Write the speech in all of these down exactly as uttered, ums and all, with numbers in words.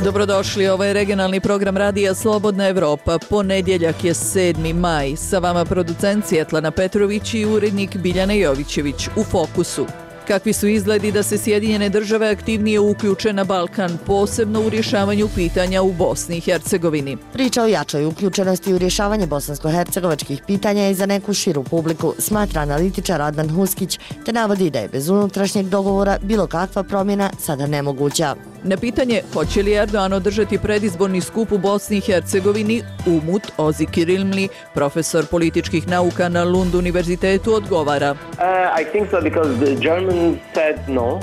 Dobrodošli, ovo je regionalni program radija Slobodna Evropa. Ponedjeljak je sedmi maj. Sa vama producent Svjetlana Petrović i urednik Biljana Jovićević. U fokusu. Kakvi su izgledi da se Sjedinjene države aktivnije uključe na Balkan, posebno u rješavanju pitanja u Bosni i Hercegovini? Priča o jačoj uključenosti u rješavanje bosansko-hercegovačkih pitanja i za neku širu publiku, smatra analitičar Adnan Huskić, te navodi da je bez unutrašnjeg dogovora bilo kakva promjena sada nemoguća. Na pitanje hoće li Erdogan održati predizborni skup u Bosni i Hercegovini, Umut Ozi Kirilmli, profesor političkih nauka na Lund univerzitetu, odgovara. Uh, I think so because the Germans said no.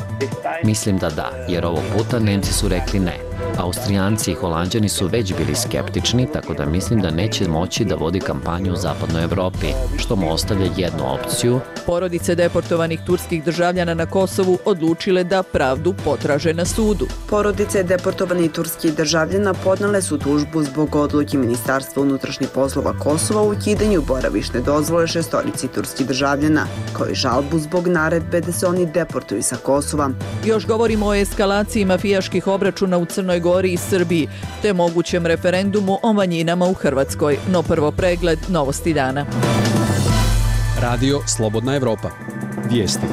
Mislim da da, jer ovog puta Nemci su rekli ne. Austrijanci i Holanđani su već bili skeptični, tako da mislim da neće moći da vodi kampanju u zapadnoj Evropi, što mu ostavlja jednu opciju. Porodice deportovanih turskih državljana na Kosovu odlučile da pravdu potraže na sudu. Porodice deportovanih turskih državljana podnele su tužbu zbog odluke Ministarstva unutrašnjih poslova Kosova u ukidanju boravišne dozvole šestorici turskih državljana, kao i žalbu zbog naredbe da se oni deportuju sa Kosova. Još govorimo o eskalaciji mafijaških obračuna u Crnoj Gori i Srbiji, te mogućem referendumu o manjinama u Hrvatskoj. No prvo pregled novosti dana. Radio Slobodna Evropa. Vijesti.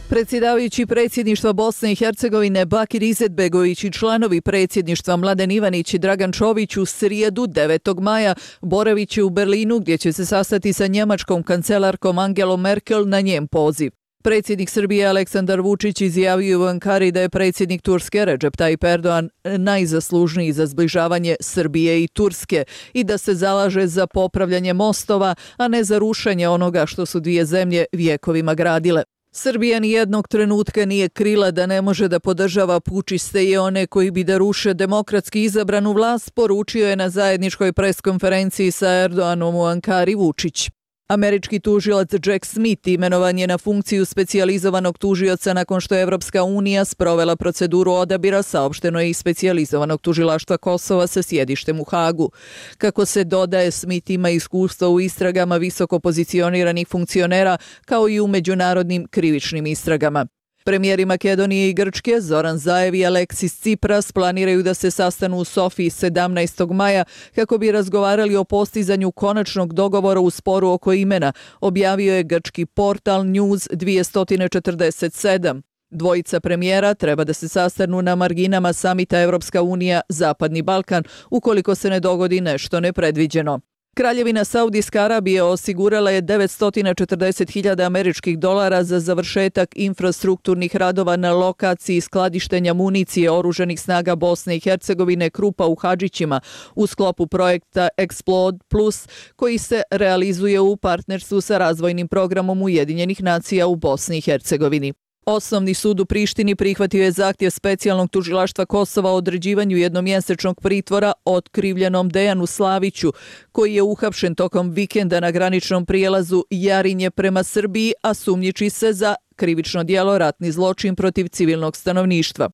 Predsjedavajući predsjedništva Bosne i Hercegovine Bakir Izetbegović i članovi predsjedništva Mladen Ivanić i Dragan Čović u srijedu devetog maja boravit će u Berlinu, gdje će se sastati sa njemačkom kancelarkom Angelom Merkel na njen poziv. Predsjednik Srbije Aleksandar Vučić izjavio u Ankari da je predsjednik Turske Recep Tayyip Erdogan najzaslužniji za zbližavanje Srbije i Turske i da se zalaže za popravljanje mostova, a ne za rušenje onoga što su dvije zemlje vjekovima gradile. Srbija ni jednog trenutka nije krila da ne može da podržava pučiste i one koji bi da ruše demokratski izabranu vlast, poručio je na zajedničkoj preskonferenciji sa Erdoganom u Ankari Vučić. Američki tužilac Jack Smith imenovan je na funkciju specijalizovanog tužioca nakon što je Evropska unija sprovela proceduru odabira, saopšteno je i specijalizovanog tužilaštva Kosova sa sjedištem u Hagu. Kako se dodaje, Smith ima iskustva u istragama visoko pozicioniranih funkcionera kao i u međunarodnim krivičnim istragama. Premijeri Makedonije i Grčke Zoran Zaev i Aleksis Tsipras planiraju da se sastanu u Sofiji sedamnaestog maja kako bi razgovarali o postizanju konačnog dogovora u sporu oko imena, objavio je grčki portal News dvjesto četrdeset sedam. Dvojica premijera treba da se sastanu na marginama samita Evropska unija Zapadni Balkan ukoliko se ne dogodi nešto nepredviđeno. Kraljevina Saudijska Arabija osigurala je devetsto četrdeset hiljada američkih dolara za završetak infrastrukturnih radova na lokaciji skladištenja municije oružanih snaga Bosne i Hercegovine Krupa u Hadžićima u sklopu projekta Explode Plus, koji se realizuje u partnerstvu sa razvojnim programom Ujedinjenih nacija u Bosni i Hercegovini. Osnovni sud u Prištini prihvatio je zahtjev specijalnog tužilaštva Kosova o određivanju jednomjesečnog pritvora otkrivljenom Dejanu Slaviću, koji je uhapšen tokom vikenda na graničnom prijelazu Jarinje prema Srbiji, a sumnjiči se za krivično djelo ratni zločin protiv civilnog stanovništva.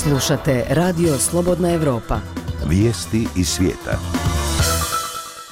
Slušate Radio Slobodna Evropa. Vijesti iz svijeta.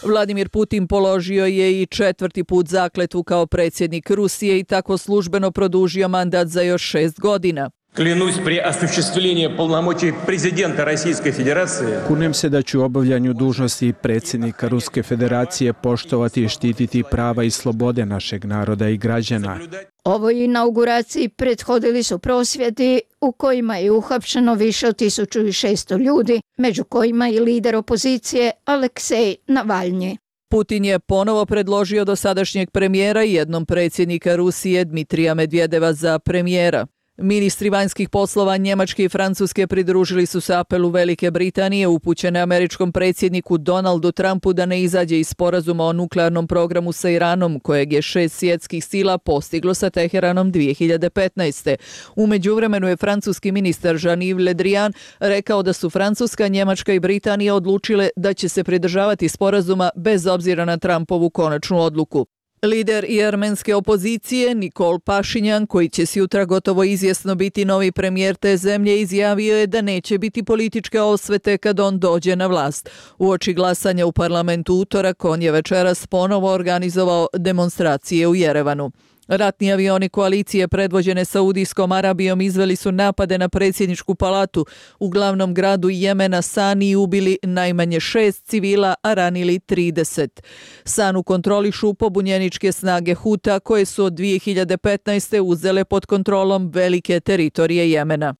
Vladimir Putin položio je i četvrti put zakletvu kao predsjednik Rusije i tako službeno produžio mandat za još šest godina. Клянусь при осуществлении полномочий президента Российской Федерации. Kunem se da ću u obavljanju dužnosti predsjednika Ruske Federacije poštovati i štititi prava i slobode našeg naroda i građana. Ovoj inauguraciji prethodili su prosvjedi u kojima je uhapšeno više od tisuću šesto ljudi, među kojima i lider opozicije Aleksej Navalnji. Putin je ponovo predložio dosadašnjeg premijera i jednom predsjednika Rusije Dmitrija Medvedeva za premijera. Ministri vanjskih poslova Njemačke i Francuske pridružili su se apelu Velike Britanije upućene američkom predsjedniku Donaldu Trumpu da ne izađe iz sporazuma o nuklearnom programu sa Iranom, kojeg je šest svjetskih sila postiglo sa Teheranom dvije hiljade petnaeste. U međuvremenu je francuski ministar Jean-Yves Le Drian rekao da su Francuska, Njemačka i Britanija odlučile da će se pridržavati sporazuma bez obzira na Trumpovu konačnu odluku. Lider i armenske opozicije Nikol Pašinjan, koji će sutra gotovo izvjesno biti novi premijer te zemlje, izjavio je da neće biti političke osvete kad on dođe na vlast. Uoči glasanja u parlamentu utorak, on je večeras ponovo organizovao demonstracije u Jerevanu. Ratni avioni koalicije predvođene Saudijskom Arabijom izveli su napade na predsjedničku palatu u glavnom gradu Jemena Sani i ubili najmanje šest civila, a ranili trideset. Sanu kontrolišu pobunjeničke snage Huta koje su od dvije hiljade petnaeste. uzele pod kontrolom velike teritorije Jemena.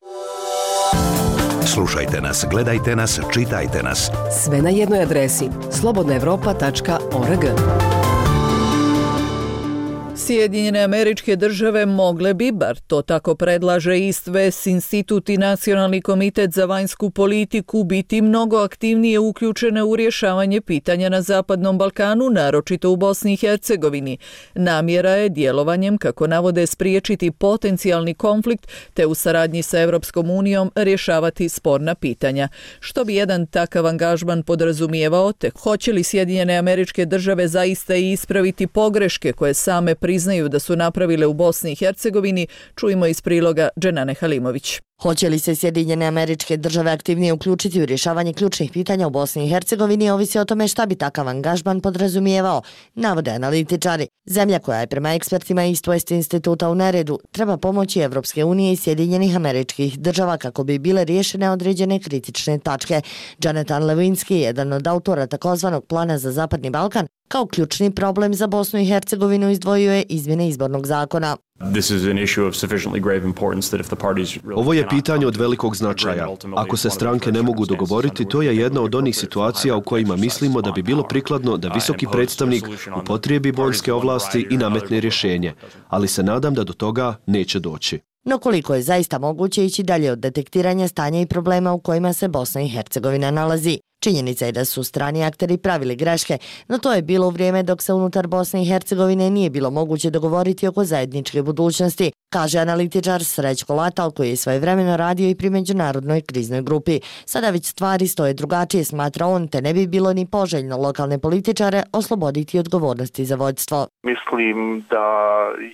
Slušajte nas, gledajte nas, čitajte nas. Sve na jednoj adresi slobodna evropa tačka org. Sjedinjene Američke Države mogle bi, bar to tako predlaže East West Institut i Nacionalni komitet za vanjsku politiku, biti mnogo aktivnije uključene u rješavanje pitanja na Zapadnom Balkanu, naročito u Bosni i Hercegovini. Namjera je djelovanjem, kako navode, spriječiti potencijalni konflikt te u saradnji sa Europskom unijom rješavati sporna pitanja. Što bi jedan takav angažman podrazumijevao, te hoće li Sjedinjene Američke Države zaista i ispraviti pogreške koje same priznaju da su napravile u Bosni i Hercegovini, čujemo iz priloga Dženane Halimović. Hoće li se Sjedinjene Američke Države aktivnije uključiti u rješavanje ključnih pitanja u Bosni i Hercegovini, ovisi o tome šta bi takav angažman podrazumijevao, navode analitičari. Zemlja koja je prema ekspertima East West instituta u neredu treba pomoći Evropske unije i Sjedinjenih Američkih Država kako bi bile riješene određene kritične tačke. Jonathan Lewinsky, jedan od autora takozvanog plana za Zapadni Balkan, kao ključni problem za Bosnu i Hercegovinu izdvojio je izmjene izbornog zakona. Ovo je pitanje od velikog značaja. Ako se stranke ne mogu dogovoriti, to je jedna od onih situacija u kojima mislimo da bi bilo prikladno da visoki predstavnik upotrijebi vojske ovlasti i nametne rješenje, ali se nadam da do toga neće doći. No koliko je zaista moguće ići dalje od detektiranja stanja i problema u kojima se Bosna i Hercegovina nalazi? Činjenica je da su strani akteri pravili greške, no to je bilo u vrijeme dok se unutar Bosne i Hercegovine nije bilo moguće dogovoriti oko zajedničke budućnosti, kaže analitičar Srećko Latal koji je svojevremeno radio i pri međunarodnoj kriznoj grupi. Sada već stvari stoje drugačije, smatra on, te ne bi bilo ni poželjno lokalne političare osloboditi odgovornosti za vodstvo. Mislim da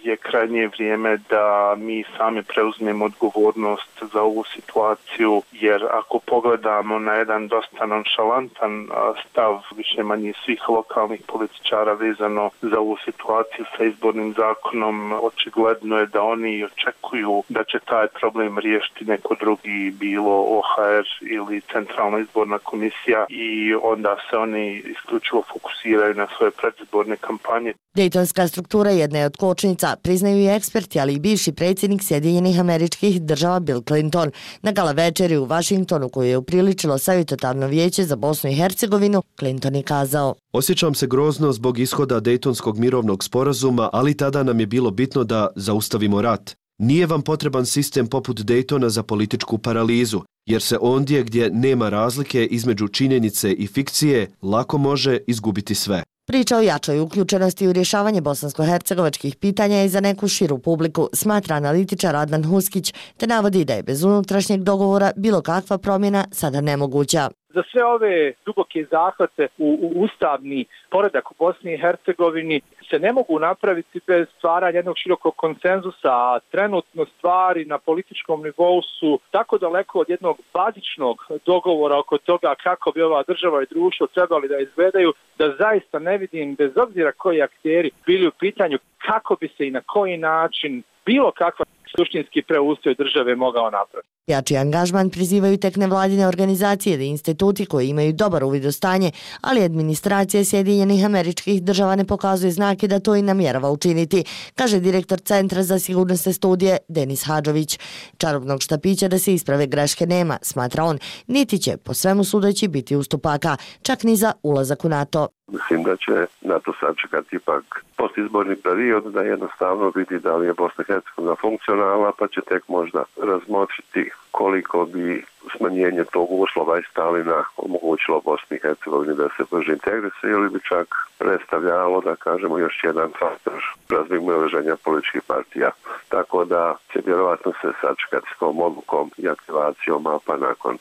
je krajnje vrijeme da mi sami preuzmemo odgovornost za ovu situaciju, jer ako pogledamo na jedan dosta nonšalantan stav više manje svih lokalnih političara vezano za ovu situaciju sa izbornim zakonom, očigledno je da oni očekuju da će taj problem riješiti neko drugi, bilo O H R ili Centralna izborna komisija, i onda se oni isključivo fokusiraju na svoje predizborne kampanje. Dejtonska struktura jedna je od kočnica, priznaju i eksperti, ali i bivši predsjednik Sjedinjenih Američkih Država Bill Clinton. Na gala večeri u Vašingtonu koju je upriličilo savjetodavno vijeće za Bosnu i Hercegovinu, Clinton je kazao: Osjećam se grozno zbog ishoda Dejtonskog mirovnog sporazuma, ali tada nam je bilo bitno da zaustavimo rat. Nije vam potreban sistem poput Dejtona za političku paralizu, jer se ondje gdje nema razlike između činjenice i fikcije lako može izgubiti sve. Priča o jačoj uključenosti u rješavanje bosansko-hercegovačkih pitanja je za neku širu publiku, smatra analitičar Adnan Huskić, te navodi da je bez unutrašnjeg dogovora bilo kakva promjena sada nemoguća. Za sve ove duboke zahvate u, u ustavni poredak u Bosni i Hercegovini se ne mogu napraviti bez stvaranja jednog širokog konsenzusa, a trenutno stvari na političkom nivou su tako daleko od jednog bazičnog dogovora oko toga kako bi ova država i društvo trebali da izgledaju, da zaista ne vidim, bez obzira koji akteri bili u pitanju, kako bi se i na koji način bilo kakva suštinski preustroj države mogao napraviti. Jači angažman prizivaju tek nevladine organizacije i instituti koji imaju dobar uvid u stanje, ali administracija Sjedinjenih Američkih Država ne pokazuje znake da to i namjerava učiniti, kaže direktor Centra za sigurnosne studije Denis Hadžović. Čarobnog štapića da se isprave greške nema, smatra on, niti će po svemu sudeći biti ustupaka, čak ni za ulazak u NATO. Mislim da će NATO sačekati ipak postizborni period, da jednostavno vidi da li je Bosna i Hercegovina funkcionalna, pa će tek možda razmotriti koliko bi smanjenje tog uslova i Stalina omogućilo Bosni i Hercegovini da se brže integrise, ili bi čak predstavljalo, da kažemo, još jedan faktor razmimoilaženja političkih partija. Tako da će vjerovatno se sačekati s tom odlukom i aktivacijom mapa nakon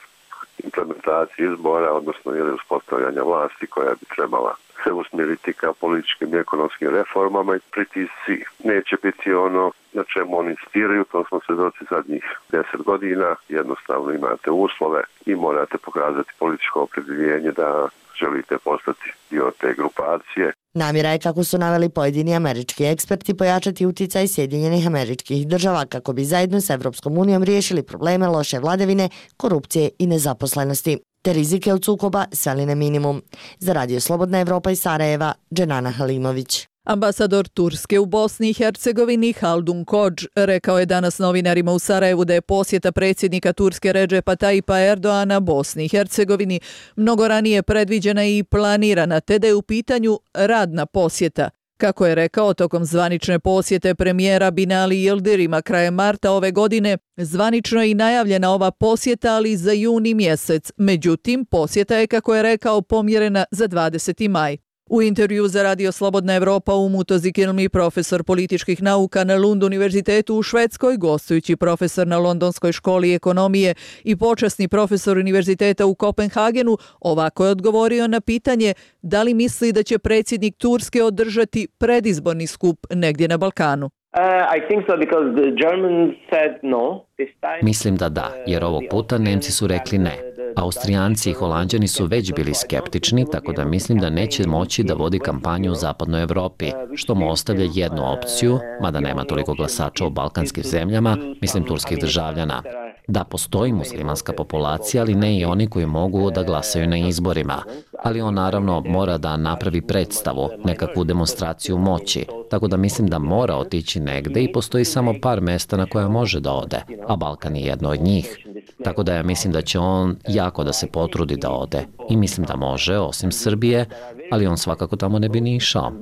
implementacije izbora, odnosno ili uspostavljanja vlasti koja bi trebala se usmjeriti ka političkim i ekonomskim reformama, i pritisci neće biti ono na čemu oni insistiraju, to smo svedoci zadnjih deset godina, jednostavno imate uslove i morate pokazati političko opredjeljenje da želite postati dio te grupacije. Namjera je, kako su naveli pojedini američki eksperti, pojačati uticaj Sjedinjenih Američkih Država kako bi zajedno s Evropskom unijom riješili probleme loše vladavine, korupcije i nezaposlenosti, te rizike od sukoba sveli na minimum. Za Radio Slobodna Evropa iz Sarajeva, Dženana Halimović. Ambasador Turske u Bosni i Hercegovini Haldun Kođ rekao je danas novinarima u Sarajevu da je posjeta predsjednika Turske Redžepa Tajipa Erdoana Bosni i Hercegovini mnogo ranije predviđena i planirana, te da je u pitanju radna posjeta. Kako je rekao, tokom zvanične posjete premijera Binali Yildirima krajem marta ove godine, zvanično je i najavljena ova posjeta, ali za juni mjesec. Međutim, posjeta je, kako je rekao, pomjerena za dvadeseti maj. U intervju za Radio Slobodna Evropa Umut Ozikilmi, profesor političkih nauka na Lund univerzitetu u Švedskoj, gostujući profesor na Londonskoj školi ekonomije i počasni profesor univerziteta u Kopenhagenu, ovako je odgovorio na pitanje da li misli da će predsjednik Turske održati predizborni skup negdje na Balkanu. Mislim da da, jer ovog puta Nemci su rekli ne. Austrijanci i Holanđani su već bili skeptični, tako da mislim da neće moći da vodi kampanju u zapadnoj Evropi, što mu ostavlja jednu opciju, mada nema toliko glasača u balkanskim zemljama, mislim turskih državljana. Da, postoji muslimanska populacija, ali ne i oni koji mogu da glasaju na izborima. Ali on naravno mora da napravi predstavu, nekakvu demonstraciju moći, tako da mislim da mora otići negde i postoji samo par mesta na koja može da ode, a Balkan je jedno od njih. Tako da ja mislim da će on jako da se potrudi da ode. I mislim da može, osim Srbije, ali on svakako tamo ne bi ni išao.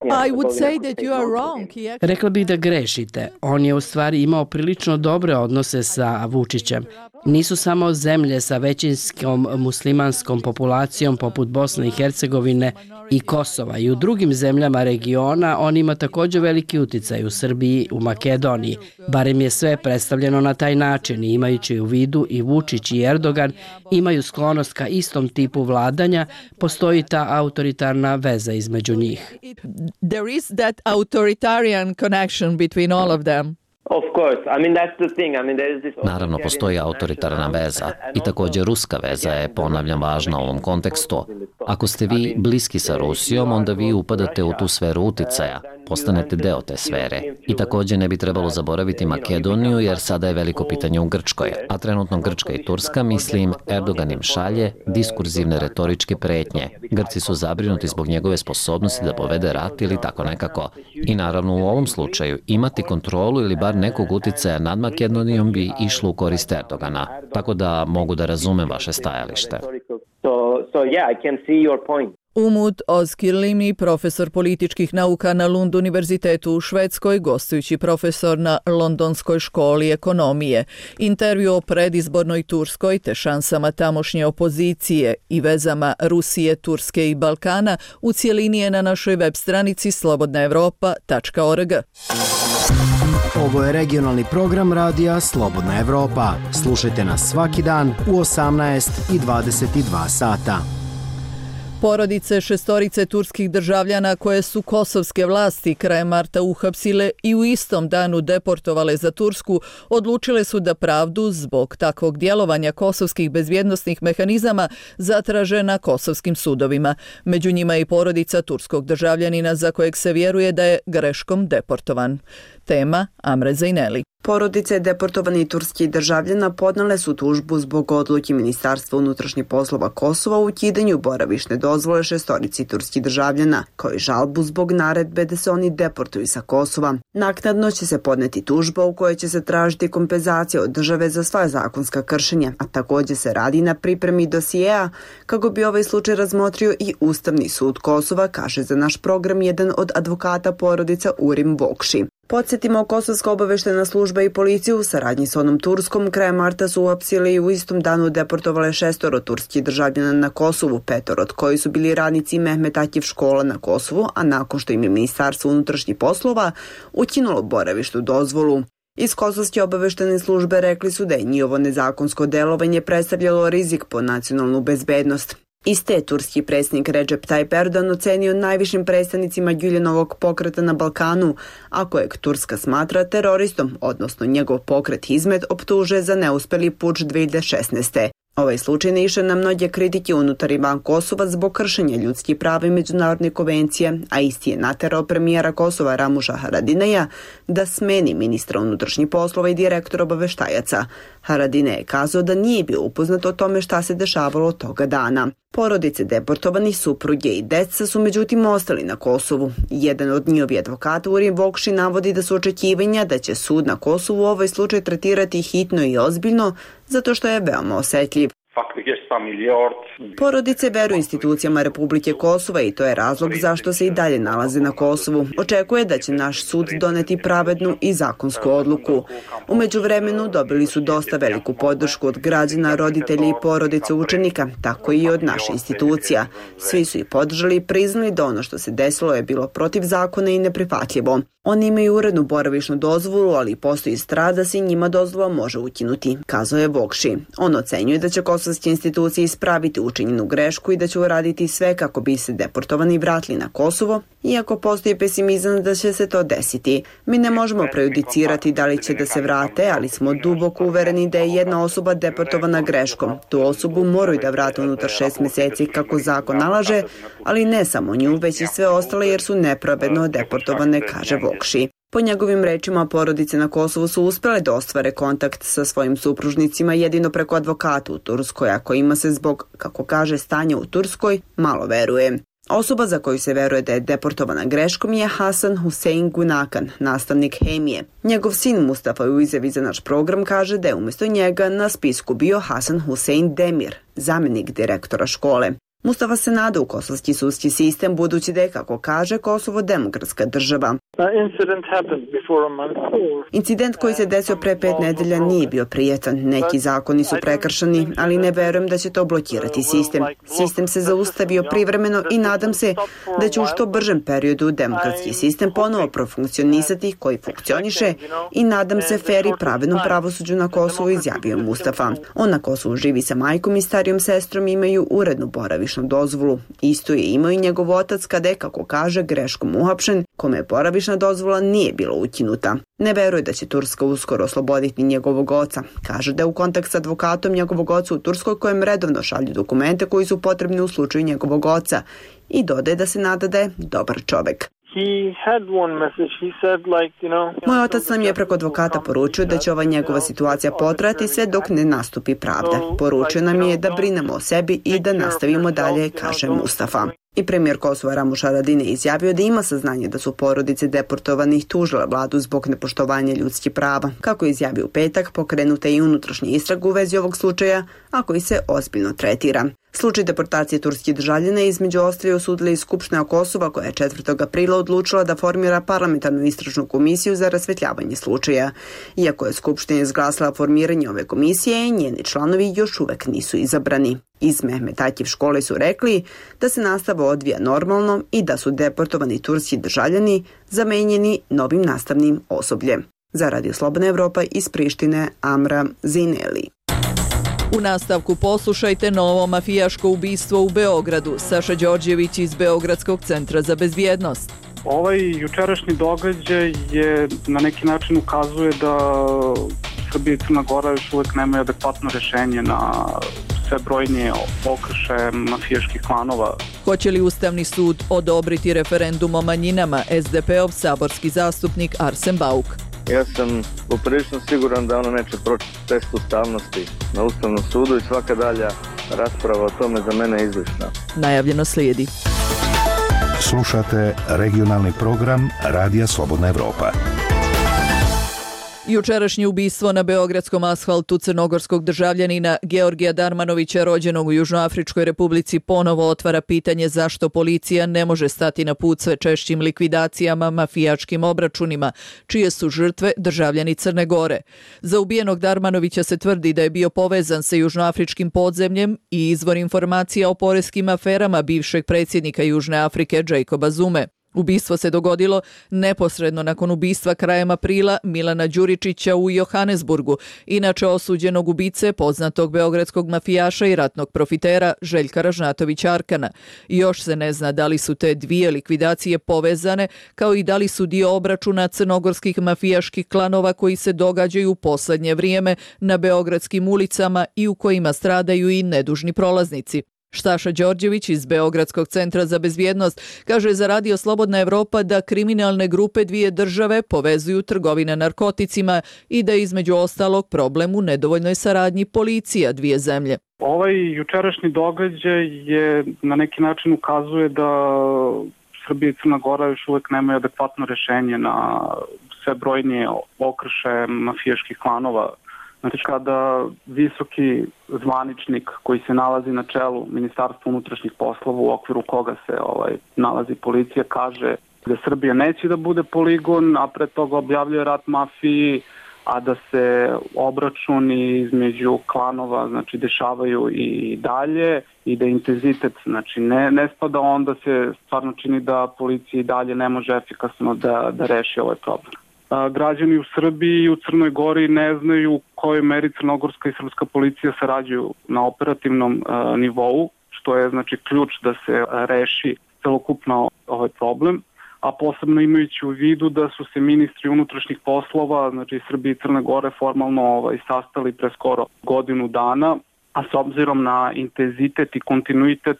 I would say that you are wrong. Rekla bih da grešite. On je u stvari imao prilično dobre odnose sa Vučićem. Nisu samo zemlje sa većinskom muslimanskom populacijom poput Bosne i Hercegovine i Kosova. I u drugim zemljama regiona on ima također veliki uticaj u Srbiji, u Makedoniji. Barem je sve predstavljeno na taj način i imajući u vidu i Vučić i Erdogan imaju sklonost ka istom tipu vladanja, postoji ta autoritarna veza između njih. There is that authoritarian connection between all of them. Naravno, postoji autoritarna veza i također ruska veza je, ponavljam, važna u ovom kontekstu. Ako ste vi bliski sa Rusijom, onda vi upadate u tu sferu uticaja, postanete deo te sfere. I također ne bi trebalo zaboraviti Makedoniju, jer sada je veliko pitanje u Grčkoj. A trenutno Grčka i Turska, mislim, Erdogan im šalje diskurzivne retoričke pretnje. Grci su zabrinuti zbog njegove sposobnosti da povede rat ili tako nekako. I naravno u ovom slučaju imati kontrolu ili bar nekog uticaja nad Makedonijom bi išlo u korist Erdogana. Tako da mogu da razumem vaše stajalište. Umut Ozkilimi, profesor političkih nauka na Lund univerzitetu u Švedskoj, gostujući profesor na Londonskoj školi ekonomije. Intervju o predizbornoj Turskoj te šansama tamošnje opozicije i vezama Rusije, Turske i Balkana u cjelini je na našoj web stranici slobodna evropa tačka org. Ovo je regionalni program radija Slobodna Evropa. Slušajte nas svaki dan u osamnaest i dvadeset dva sata. Porodice šestorice turskih državljana koje su kosovske vlasti krajem marta uhapsile i u istom danu deportovale za Tursku, odlučile su da pravdu zbog takvog djelovanja kosovskih bezbjednosnih mehanizama zatraže na kosovskim sudovima. Među njima i porodica turskog državljanina za kojeg se vjeruje da je greškom deportovan. Tema Amre Zajneli. Porodice deportovanih turskih državljana podnale su tužbu zbog odluke Ministarstva unutrašnjih poslova Kosova u ukidanju boravišne dozvole šestorici turskih državljana, kao i žalbu zbog naredbe da se oni deportuju sa Kosova. Naknadno će se podneti tužba u kojoj će se tražiti kompenzacija od države za sva zakonska kršenja, a također se radi na pripremi dosijeja kako bi ovaj slučaj razmotrio i Ustavni sud Kosova, kaže za naš program jedan od advokata porodica Urim Bokši. Podsjetimo, Kosovska obaveštena služba i policiju u saradnji s onom Turskom krajem marta su uhapsili i u istom danu deportovale šestoro turskih državljana na Kosovu, petoro od koji su bili radnici Mehmet Akif škola na Kosovu, a nakon što im je Ministarstvo unutrašnjih poslova ukinulo boravišnu dozvolu. Iz Kosovske obaveštene službe rekli su da je njihovo nezakonsko delovanje predstavljalo rizik po nacionalnu bezbednost. Iste turski predsjednik Recep Tayyip Erdogan ocenio najvišim predstavnicima Güljenovog pokreta na Balkanu, a kojeg Turska smatra teroristom, odnosno njegov pokret Hizmet optuže za neuspjeli puč dvije hiljade šesnaeste. Ovaj slučaj naišao na mnoge kritike unutar i van Kosova zbog kršenja ljudskih prava i međunarodne konvencije, a isti je naterao premijera Kosova Ramuša Haradinaja da smeni ministra unutrašnjih poslova i direktora obaveštajaca. Haradinaj je kazao da nije bio upoznat o tome šta se dešavalo toga dana. Porodice deportovanih, supruge i deca su međutim ostali na Kosovu. Jedan od njihovi advokata Urim Vokši navodi da su očekivanja da će sud na Kosovu ovaj slučaj tretirati hitno i ozbiljno zato što je veoma osetljiv. Porodice veruju institucijama Republike Kosova i to je razlog zašto se i dalje nalaze na Kosovu. Očekuje da će naš sud doneti pravednu i zakonsku odluku. U međuvremenu dobili su dosta veliku podršku od građana, roditelja i porodice učenika, tako i od naše institucija. Svi su ih podržali i priznali da ono što se desilo je bilo protiv zakona i neprihvatljivo. Oni imaju urednu boravišnu dozvolu, ali postoji strah da se njima dozvola može ukinuti, kazao je Vokši. On ocenjuje da će kosovske institucije ispraviti učinjenu grešku i da će uraditi sve kako bi se deportovani vratili na Kosovo, iako postoji pesimizam da će se to desiti. Mi ne možemo prejudicirati da li će da se vrate, ali smo duboko uvereni da je jedna osoba deportovana greškom. Tu osobu moraju da vrate unutar šest mjeseci kako zakon nalaže, ali ne samo nju, već i sve ostale jer su nepravedno deportovane, kaže Vokši. Po njegovim rečima, porodice na Kosovu su uspjele da ostvare kontakt sa svojim supružnicima jedino preko advokata u Turskoj, a kojima se zbog, kako kaže, stanja u Turskoj malo veruje. Osoba za koju se veruje da je deportovana greškom je Hasan Hussein Gunakan, nastavnik hemije. Njegov sin Mustafa u izjavi za naš program kaže da je umjesto njega na spisku bio Hasan Hussein Demir, zamjenik direktora škole. Mustafa se nada u kosovski sudski sistem budući da je, kako kaže, Kosovo demokratska država. Incident koji se desio pre pet nedelja nije bio prijetan. Neki zakoni su prekršeni, ali ne verujem da će to blokirati sistem. Sistem se zaustavio privremeno i nadam se da će u što bržem periodu demokratski sistem ponovo profunkcionisati koji funkcioniše i nadam se fer i pravednom pravosuđu na Kosovu, izjavio Mustafa. On na Kosovu živi sa majkom i starijom sestrom, imaju urednu boravišnu dozvolu. Isto je imao i njegov otac kada je, kako kaže, greškom uhapšen, kome je boravišna dozvola nije bila ukinuta. Ne veruje da će Turska uskoro osloboditi njegovog oca. Kaže da je u kontakt s advokatom njegovog oca u Turskoj kojem redovno šalju dokumente koji su potrebni u slučaju njegovog oca i dodaje da se nada da je dobar čovek. Moj otac nam je preko advokata poručio da će ova njegova situacija potrajati sve dok ne nastupi pravda. Poručio nam je da brinemo o sebi i da nastavimo dalje, kaže Mustafa. I premijer Kosova Ramuš Haradinaj izjavio da ima saznanje da su porodice deportovanih tužile vladu zbog nepoštovanja ljudskih prava. Kako je izjavio u petak, pokrenuta je i unutrašnja istraga u vezi ovog slučaja, a koji se ozbiljno tretira. Slučaj deportacije turskih državljana između Austrije osudila i Skupština Kosova koja je četvrtog aprila odlučila da formira parlamentarnu istražnu komisiju za rasvetljavanje slučaja. Iako je Skupština izglasala formiranje ove komisije, njeni članovi još uvek nisu izabrani. Iz Mehmet Akif škole su rekli da se nastava odvija normalno i da su deportovani turski državljani zamenjeni novim nastavnim osobljem. Za Radio Slobodna Evropa iz Prištine, Amra Zineli. U nastavku poslušajte novo mafijaško ubistvo u Beogradu. Saša Đorđević iz Beogradskog centra za bezbjednost. Ovaj jučerašnji događaj je na neki način ukazuje da Srbija i Crna Gora još uvek nemaju adekvatno rešenje na sve brojnije okršaje mafijaških klanova. Hoće li Ustavni sud odobriti referendum o manjinama? es de peov saborski zastupnik Arsen Bauk. Ja sam poprilično siguran da ono neće proći test ustavnosti na Ustavnom sudu i svaka dalja rasprava o tome za mene je izlišna. Najavljeno slijedi. Slušate regionalni program Radija Slobodna Evropa. Jučerašnje ubistvo na beogradskom asfaltu crnogorskog državljanina Georgija Darmanovića, rođenog u Južnoafričkoj republici, ponovo otvara pitanje zašto policija ne može stati na put sve češćim likvidacijama, mafijačkim obračunima, čije su žrtve državljani Crne Gore. Za ubijenog Darmanovića se tvrdi da je bio povezan sa južnoafričkim podzemljem i izvor informacija o poreskim aferama bivšeg predsjednika Južne Afrike Jacoba Zume. Ubistvo se dogodilo neposredno nakon ubistva krajem aprila Milana Đuričića u Johannesburgu, inače osuđenog ubice poznatog beogradskog mafijaša i ratnog profitera Željka Ražnatovića Arkana. Još se ne zna da li su te dvije likvidacije povezane, kao i da li su dio obračuna crnogorskih mafijaških klanova koji se događaju u poslednje vrijeme na beogradskim ulicama i u kojima stradaju i nedužni prolaznici. Štaša Đorđević iz Beogradskog centra za bezbjednost kaže za Radio Slobodna Evropa da kriminalne grupe dvije države povezuju trgovine narkoticima i da je između ostalog problem u nedovoljnoj saradnji policija dvije zemlje. Ovaj jučerašnji događaj je na neki način ukazuje da Srbija i Crna Gora još uvijek nemaju adekvatno rješenje na sve brojnije okršaje mafijaških klanova. Znači, kada visoki zvaničnik koji se nalazi na čelu Ministarstva unutrašnjih poslova u okviru koga se ovaj, nalazi policija kaže da Srbija neće da bude poligon, a pre toga objavljuje rat mafiji, a da se obračuni između klanova znači, dešavaju i dalje i da intenzitet znači, ne, ne spada, onda se stvarno čini da policija i dalje ne može efikasno da, da reši ovaj problem. Građani u Srbiji i u Crnoj Gori ne znaju u kojoj meri crnogorska i srpska policija sarađuju na operativnom uh, nivou, što je znači ključ da se reši celokupno ovaj problem, a posebno imajući u vidu da su se ministri unutrašnjih poslova, znači Srbije i Crne Gore formalno ovaj, sastali pre skoro godinu dana, a s obzirom na intenzitet i kontinuitet,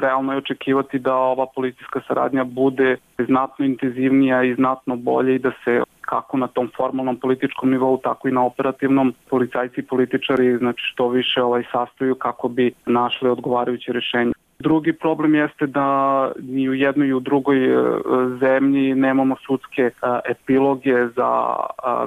realno je očekivati da ova policijska saradnja bude znatno intenzivnija i znatno bolje i da se kako na tom formalnom političkom nivou, tako i na operativnom policajci i političari znači što više ovaj, sastaju kako bi našli odgovarajuće rješenje. Drugi problem jeste da ni u jednoj i u drugoj zemlji nemamo sudske epiloge za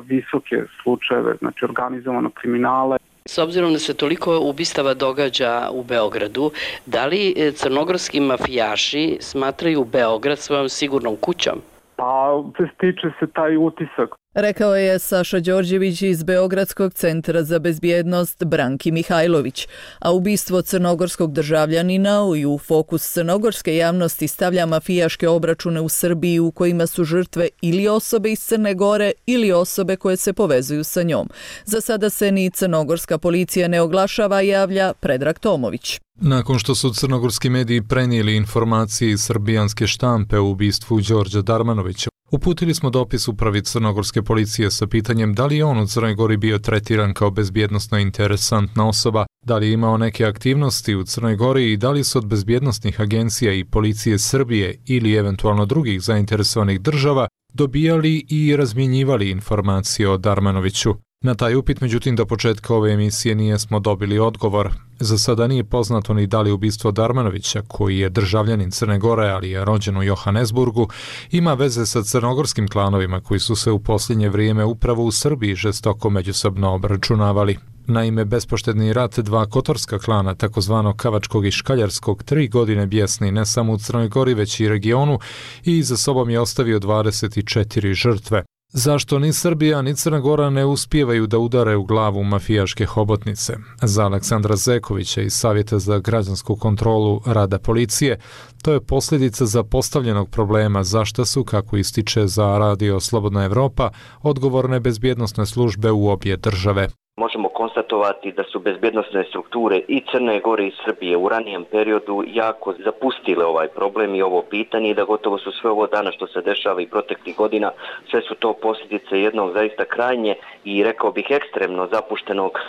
visoke slučajeve, znači organizovanog kriminala. S obzirom da se toliko ubistava događa u Beogradu, da li crnogorski mafijaši smatraju Beograd svojom sigurnom kućom? Pa, stiče se taj utisak. Rekao je Saša Đorđević iz Beogradskog centra za bezbjednost Branki Mihajlović, a ubistvo crnogorskog državljanina i u fokus crnogorske javnosti stavlja mafijaške obračune u Srbiji u kojima su žrtve ili osobe iz Crne Gore ili osobe koje se povezuju sa njom. Za sada se ni crnogorska policija ne oglašava, javlja Predrag Tomović. Nakon što su crnogorski mediji prenijeli informacije iz srbijanske štampe o ubistvu Đorđa Darmanovića, uputili smo dopis upravi crnogorske policije sa pitanjem da li je on u Crnoj Gori bio tretiran kao bezbjednosno interesantna osoba, da li je imao neke aktivnosti u Crnoj Gori i da li su od bezbjednosnih agencija i policije Srbije ili eventualno drugih zainteresovanih država dobijali i razmjenjivali informacije o Darmanoviću. Na taj upit, međutim, do početka ove emisije nijesmo dobili odgovor. Za sada nije poznato ni da li ubistvo Darmanovića, koji je državljanin Crne Gore, ali je rođen u Johannesburgu, ima veze sa crnogorskim klanovima koji su se u posljednje vrijeme upravo u Srbiji žestoko međusobno obračunavali. Naime, bespoštedni rat dva kotorska klana, takozvano Kavačkog i Škaljarskog, tri godine bjesni ne samo u Crnoj Gori, već i regionu i za sobom je ostavio dvadeset četiri žrtve. Zašto ni Srbija ni Crna Gora ne uspijevaju da udare u glavu mafijaške hobotnice? Za Aleksandra Zekovića iz Savjeta za građansku kontrolu rada policije, to je posljedica zapostavljenog problema zašto su, kako ističe za Radio Slobodna Evropa, odgovorne bezbjednosne službe u obje države. Možemo konstatovati da su bezbjednosne strukture i Crne Gore i Srbije u ranijem periodu jako zapustile ovaj problem i ovo pitanje i da gotovo su sve ovo dana što se dešava i proteklih godina, sve su to posljedice jednog zaista krajnje i rekao bih ekstremno zapuštenog e,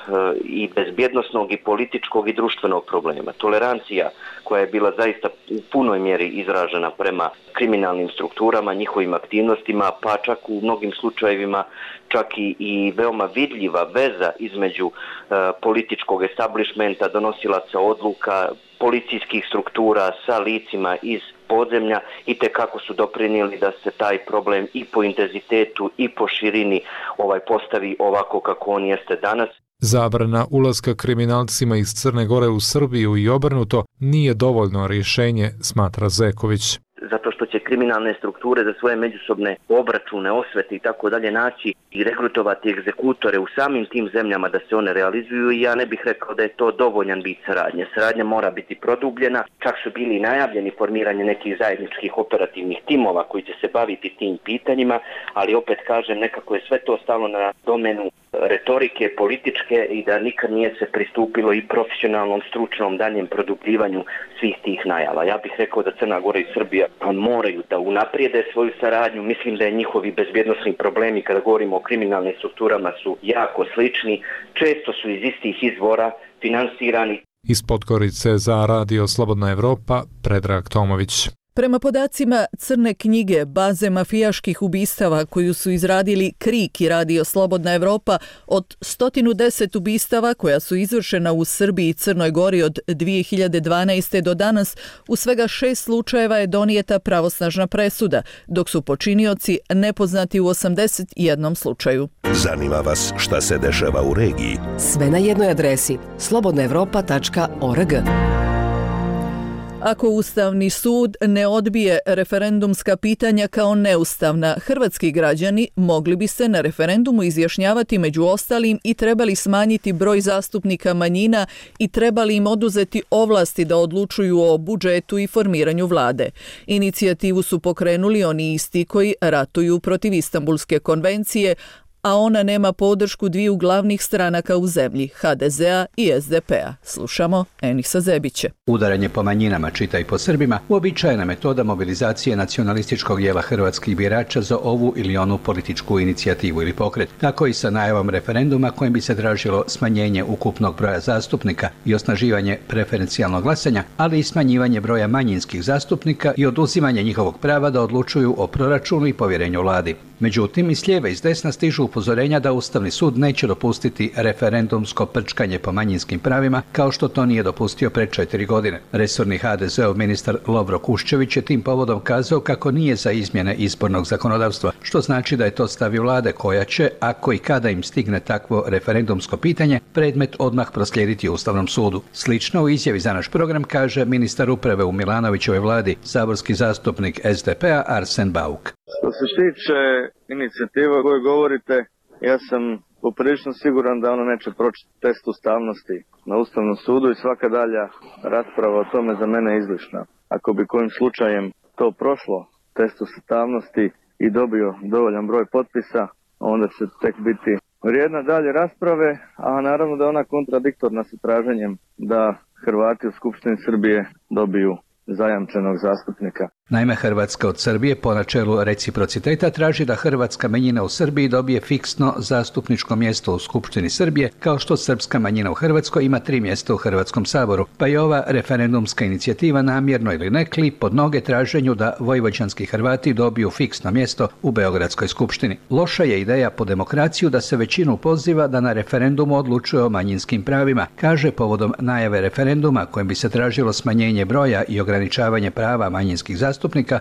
i bezbjednosnog i političkog i društvenog problema. Tolerancija koja je bila zaista u punoj mjeri izražena prema kriminalnim strukturama, njihovim aktivnostima, pa čak u mnogim slučajevima čak i, i veoma vidljiva veza između e, političkog establishmenta, donosilaca odluka, policijskih struktura sa licima iz podzemlja i te kako su doprinijeli da se taj problem i po intenzitetu i po širini ovaj postavi ovako kako on jeste danas. Zabrana ulaska kriminalcima iz Crne Gore u Srbiju i obrnuto nije dovoljno rješenje, smatra Zeković. zato što će kriminalne strukture za svoje međusobne obračune, osvete i tako dalje naći i rekrutovati egzekutore u samim tim zemljama da se one realizuju i ja ne bih rekao da je to dovoljan vid saradnje. Saradnja mora biti produbljena, čak su bili najavljeni formiranje nekih zajedničkih operativnih timova koji će se baviti tim pitanjima, ali opet kažem, nekako je sve to stalo na domenu retorike, političke i da nikad nije se pristupilo i profesionalnom, stručnom daljem produbljivanju svih tih najava. Ja bih rekao da Crna Gora i Srbija moraju da unaprijede svoju saradnju. Mislim da je njihovi bezbjednosni problemi kada govorimo o kriminalnim strukturama su jako slični, često su iz istih izvora finansirani. Iz Podgorice za Radio Slobodna Evropa, Predrag Tomović. Prema podacima Crne knjige, baze mafijaških ubistava koju su izradili Krik i Radio Slobodna Evropa, od sto deset ubistava koja su izvršena u Srbiji i Crnoj Gori od dvije hiljade dvanaeste. do danas, u svega šest slučajeva je donijeta pravosnažna presuda, dok su počinioci nepoznati u osamdeset jednom slučaju. Zanima vas šta se dešava u regiji? Sve na jednoj adresi slobodna evropa tačka org. Ako Ustavni sud ne odbije referendumska pitanja kao neustavna, hrvatski građani mogli bi se na referendumu izjašnjavati među ostalim i trebali smanjiti broj zastupnika manjina i trebali im oduzeti ovlasti da odlučuju o budžetu i formiranju vlade. Inicijativu su pokrenuli oni isti koji ratuju protiv Istanbulske konvencije, a ona nema podršku dviju glavnih stranaka u zemlji, ha de zea i es de pe a. Slušamo Enisa Zebiće. Udaranje po manjinama, čita i po Srbima, uobičajena metoda mobilizacije nacionalističkog dijela hrvatskih birača za ovu ili onu političku inicijativu ili pokret. Tako i sa najavom referenduma kojim bi se tražilo smanjenje ukupnog broja zastupnika i osnaživanje preferencijalnog glasanja, ali i smanjivanje broja manjinskih zastupnika i oduzimanje njihovog prava da odlučuju o proračunu i povjerenju vladi. Međutim, i s lijeve i s desna stižu upozorenja da Ustavni sud neće dopustiti referendumsko prčkanje po manjinskim pravima, kao što to nije dopustio pred četiri godine. Resorni ha de zeov ministar Lovro Kuščević je tim povodom kazao kako nije za izmjene izbornog zakonodavstva, što znači da je to stav vlade koja će, ako i kada im stigne takvo referendumsko pitanje, predmet odmah proslijediti Ustavnom sudu. Slično u izjavi za naš program kaže ministar uprave u Milanovićevoj vladi, saborski zastupnik es de pe a Arsen Bauk. Što se tiče inicijativa o kojoj govorite, ja sam poprilično siguran da ono neće proći test ustavnosti na Ustavnom sudu i svaka dalja rasprava o tome za mene je izlišna. Ako bi kojim slučajem to prošlo, test ustavnosti i dobio dovoljan broj potpisa, onda će tek biti vrijedna dalje rasprave, a naravno da je ona kontradiktorna sa traženjem da Hrvati u Skupštini Srbije dobiju zajamčenog zastupnika. Naime, Hrvatska od Srbije po načelu reciprociteta traži da hrvatska manjina u Srbiji dobije fiksno zastupničko mjesto u Skupštini Srbije, kao što srpska manjina u Hrvatskoj ima tri mjesta u Hrvatskom saboru, pa je ova referendumska inicijativa namjerno ili ne klip pod noge traženju da vojvođanski Hrvati dobiju fiksno mjesto u Beogradskoj skupštini. Loša je ideja po demokraciju da se većinu poziva da na referendumu odlučuje o manjinskim pravima, kaže povodom najave referenduma kojim bi se tražilo smanjenje broja i ograničavanje prava manjinskih zastupnika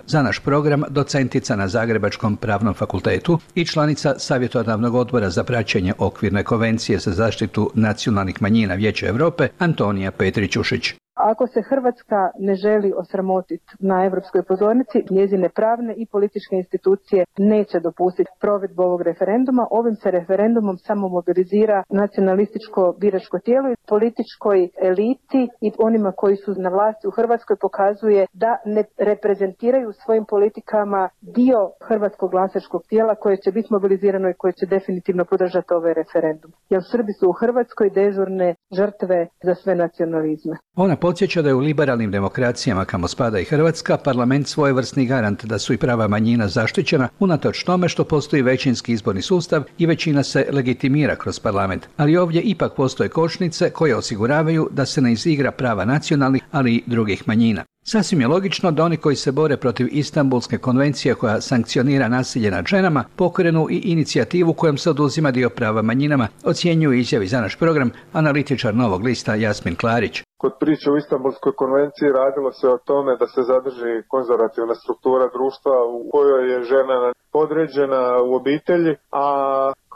za naš program docentica na Zagrebačkom pravnom fakultetu i članica savjetodavnog odbora za praćenje okvirne konvencije za zaštitu nacionalnih manjina Vijeća Europe Antonija Petrić-Ušić. Ako se Hrvatska ne želi osramotiti na europskoj pozornici, njezine pravne i političke institucije neće dopustiti provedbu ovog referenduma. Ovim se referendumom samo mobilizira nacionalističko biračko tijelo i političkoj eliti i onima koji su na vlasti u Hrvatskoj pokazuje da ne reprezentiraju svojim politikama dio hrvatskog glasačkog tijela koje će biti mobilizirano i koje će definitivno podržati ovaj referendum. Jer Srbi su u Hrvatskoj dežurne žrtve za sve nacionalizme. Ona podsjeća da je u liberalnim demokracijama, kamo spada i Hrvatska, parlament svojevrsni garant da su i prava manjina zaštićena, unatoč tome što postoji većinski izborni sustav i većina se legitimira kroz parlament. Ali ovdje ipak postoje kočnice koje osiguravaju da se ne izigra prava nacionalnih, ali i drugih manjina. Sasvim je logično da oni koji se bore protiv Istanbulske konvencije koja sankcionira nasilje nad ženama pokrenu i inicijativu kojom se oduzima dio prava manjinama, ocjenjuju izjavi za naš program analitičar Novog lista Jasmin Klarić. Kod priče o Istanbulskoj konvenciji radilo se o tome da se zadrži konzervativna struktura društva u kojoj je žena podređena u obitelji, a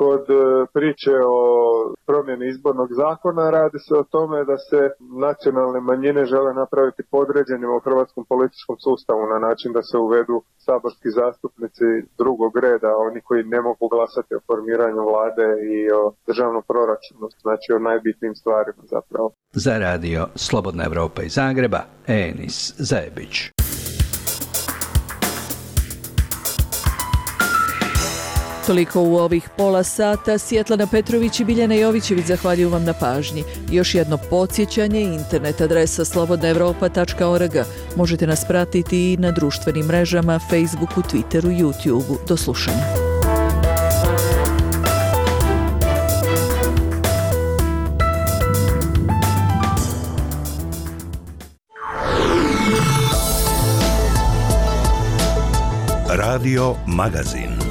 Kod priče o promjeni izbornog zakona radi se o tome da se nacionalne manjine žele napraviti podređenima u hrvatskom političkom sustavu na način da se uvedu saborski zastupnici drugog reda, oni koji ne mogu glasati o formiranju vlade i o državnom proračunu, znači o najbitnijim stvarima zapravo. Za radio Slobodna Evropa iz Zagreba, Enis Zajebić. Toliko u ovih pola sata. Svjetlana Petrović i Biljana Jovićević zahvaljuju vam na pažnji. Još jedno podsjećanje, internet adresa slobodna evropa tačka org. Možete nas pratiti i na društvenim mrežama, Facebooku, Twitteru, YouTubeu. Do slušanja. Radio Magazin.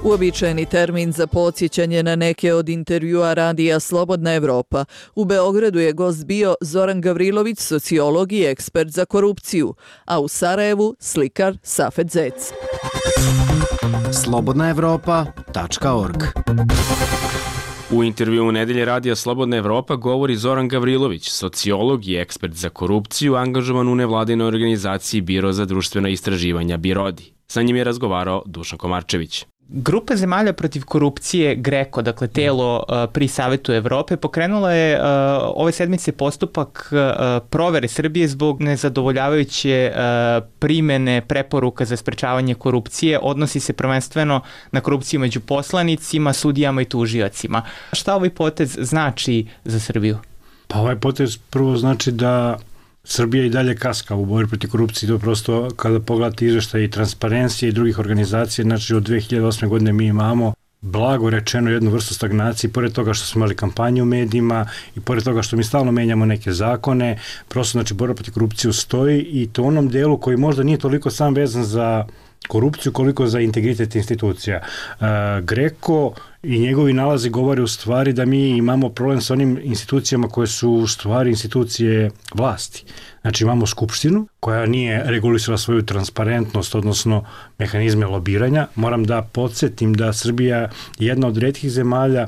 Uobičajeni termin za podsjećanje na neke od intervjua radija Slobodna Evropa. U Beogradu je gost bio Zoran Gavrilović, sociolog i ekspert za korupciju, a u Sarajevu slikar Safet Zec. slobodna evropa tačka org. U intervju u nedelje radija Slobodna Evropa govori Zoran Gavrilović, sociolog i ekspert za korupciju, angažovan u nevladinoj organizaciji Biro za društvena istraživanja BIRODI. Sa njim je razgovarao Dušan Komarčević. Grupa zemalja protiv korupcije GRECO, dakle telo uh, pri Savetu Evrope, pokrenula je uh, ove sedmice postupak uh, provere Srbije zbog nezadovoljavajuće uh, primene preporuka za sprečavanje korupcije. Odnosi se prvenstveno na korupciju među poslanicima, sudijama i tužiocima. Šta ovaj potez znači za Srbiju? Pa ovaj potez prvo znači da Srbija i dalje kaska u borbi protiv korupcije, to prosto kada pogledate izveštaje i Transparencije i drugih organizacija, znači od dve hiljade osme godine mi imamo blago rečeno jednu vrstu stagnacije, pored toga što smo imali kampanje u medijima i pored toga što mi stalno menjamo neke zakone, prosto znači borba protiv korupcije stoji i to u onom delu koji možda nije toliko sam vezan za korupciju koliko za integritet institucija. E, GRECO i njegovi nalazi govore u stvari da mi imamo problem sa onim institucijama koje su u stvari institucije vlasti. Znači imamo skupštinu koja nije regulisala svoju transparentnost, odnosno mehanizme lobiranja. Moram da podsjetim da Srbija je jedna od retkih zemalja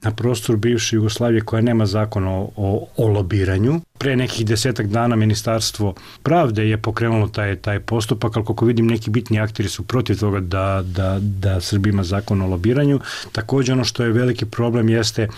na prostoru bivše Jugoslavije koja nema zakon o, o, o lobiranju. Pre nekih desetak dana Ministarstvo pravde je pokrenulo taj, taj postupak, ali koliko vidim neki bitni akteri su protiv toga da, da, da Srbija ima zakon o lobiranju. Također ono što je veliki problem jeste,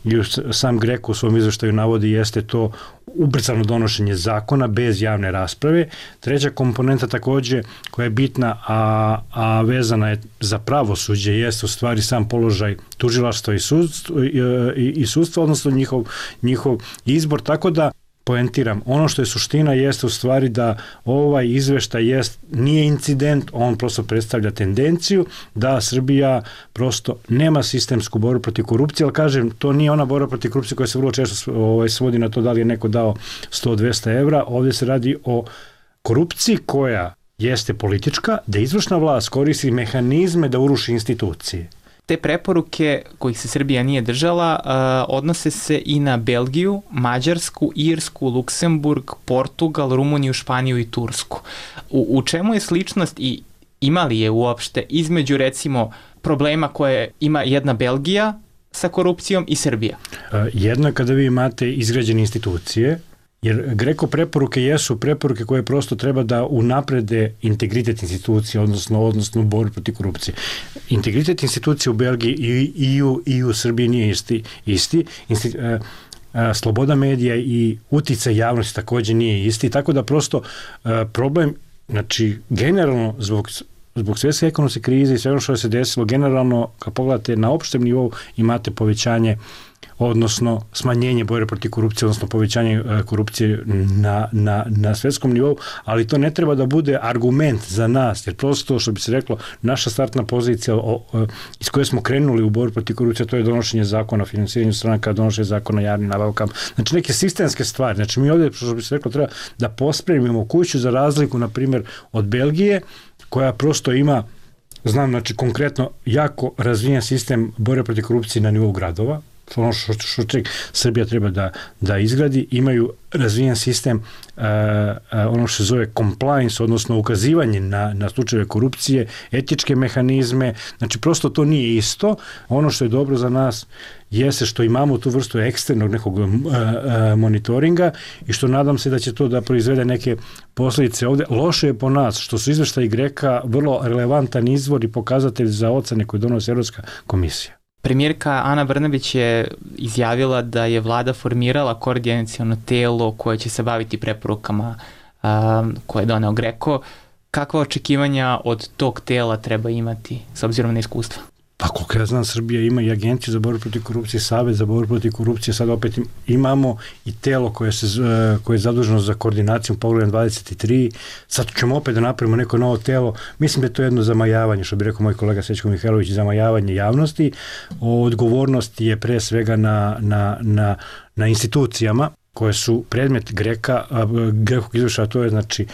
i sam GRECO u svom izveštaju navodi, jeste to ubrzano donošenje zakona bez javne rasprave. Treća komponenta također koja je bitna, a, a vezana je za pravosuđe, jeste u stvari sam položaj tužilaštva i sudstva, i, i, i sudstva, odnosno njihov, njihov izbor, tako da poentiram, ono što je suština jeste u stvari da ovaj izveštaj jest, nije incident, on prosto predstavlja tendenciju da Srbija prosto nema sistemsku borbu protiv korupcije, ali kažem, to nije ona borba protiv korupcije koja se vrlo često ovaj, svodi na to da li je neko dao sto do dvesta evra, ovdje se radi o korupciji koja jeste politička, da izvršna vlast koristi mehanizme da uruši institucije. Te preporuke kojih se Srbija nije držala uh, odnose se i na Belgiju, Mađarsku, Irsku, Luksemburg, Portugal, Rumuniju, Španiju i Tursku. U, u čemu je sličnost i ima li je uopšte između recimo problema koje ima jedna Belgija sa korupcijom i Srbija? Uh, jedno je kada vi imate izgrađene institucije, jer GRECO preporuke jesu preporuke koje prosto treba da unaprede integritet institucije, odnosno, odnosno borbu protiv korupcije. Integritet institucije u Belgiji i, i, u, i u Srbiji nije isti. isti. Insti, a, a, sloboda medija i uticaj javnosti također nije isti, tako da prosto a, problem, znači generalno zbog zbog svjetske ekonomske krize i sve ono što se desilo, generalno kad pogledate na opštem nivou imate povećanje, odnosno smanjenje borbe protiv korupcije, odnosno povećanje korupcije na, na, na svjetskom nivou, ali to ne treba da bude argument za nas, jer prosto, što bi se reklo, naša startna pozicija o, o, iz koje smo krenuli u borbu protiv korupcije, to je donošenje zakona o financiranju stranaka, donošenje zakona o javnim nabavkama, znači neke sistemske stvari. Znači mi ovdje, što bi se reklo, treba da pospremimo kuću za razliku, na primjer, od Belgije, koja prosto ima, znam, znači konkretno jako razvijen sistem borbe protiv korupcije na nivou gradova, ono što, što, što Srbija treba da, da izgradi, imaju razvijen sistem uh, uh, ono što se zove compliance, odnosno ukazivanje na, na slučajeve korupcije, etičke mehanizme, znači prosto to nije isto. Ono što je dobro za nas jeste što imamo tu vrstu eksternog nekog uh, uh, monitoringa i što nadam se da će to da proizvede neke posljedice ovde. Loše je po nas što su izveštaji Greka vrlo relevantan izvor i pokazatelj za ocene koje donosi Evropska komisija. Premijerka Ana Brnabić je izjavila da je vlada formirala koordinaciono telo koje će se baviti preporukama um, koje je doneo Greko. Kakva očekivanja od tog tela treba imati s obzirom na iskustva? Pa koliko ja znam, Srbija ima i agenciju za borbu protiv korupcije, Savet za borbu protiv korupcije, sad opet imamo i telo koje, se, koje je zaduženo za koordinaciju poglavlja dvadeset tri, sad ćemo opet da napravimo neko novo telo, mislim da je to jedno zamajavanje, što bi rekao moj kolega Srećko Mihajlović, zamajavanje javnosti, odgovornost je pre svega na, na, na, na institucijama koje su predmet Greka, Grekog izvrša, to je znači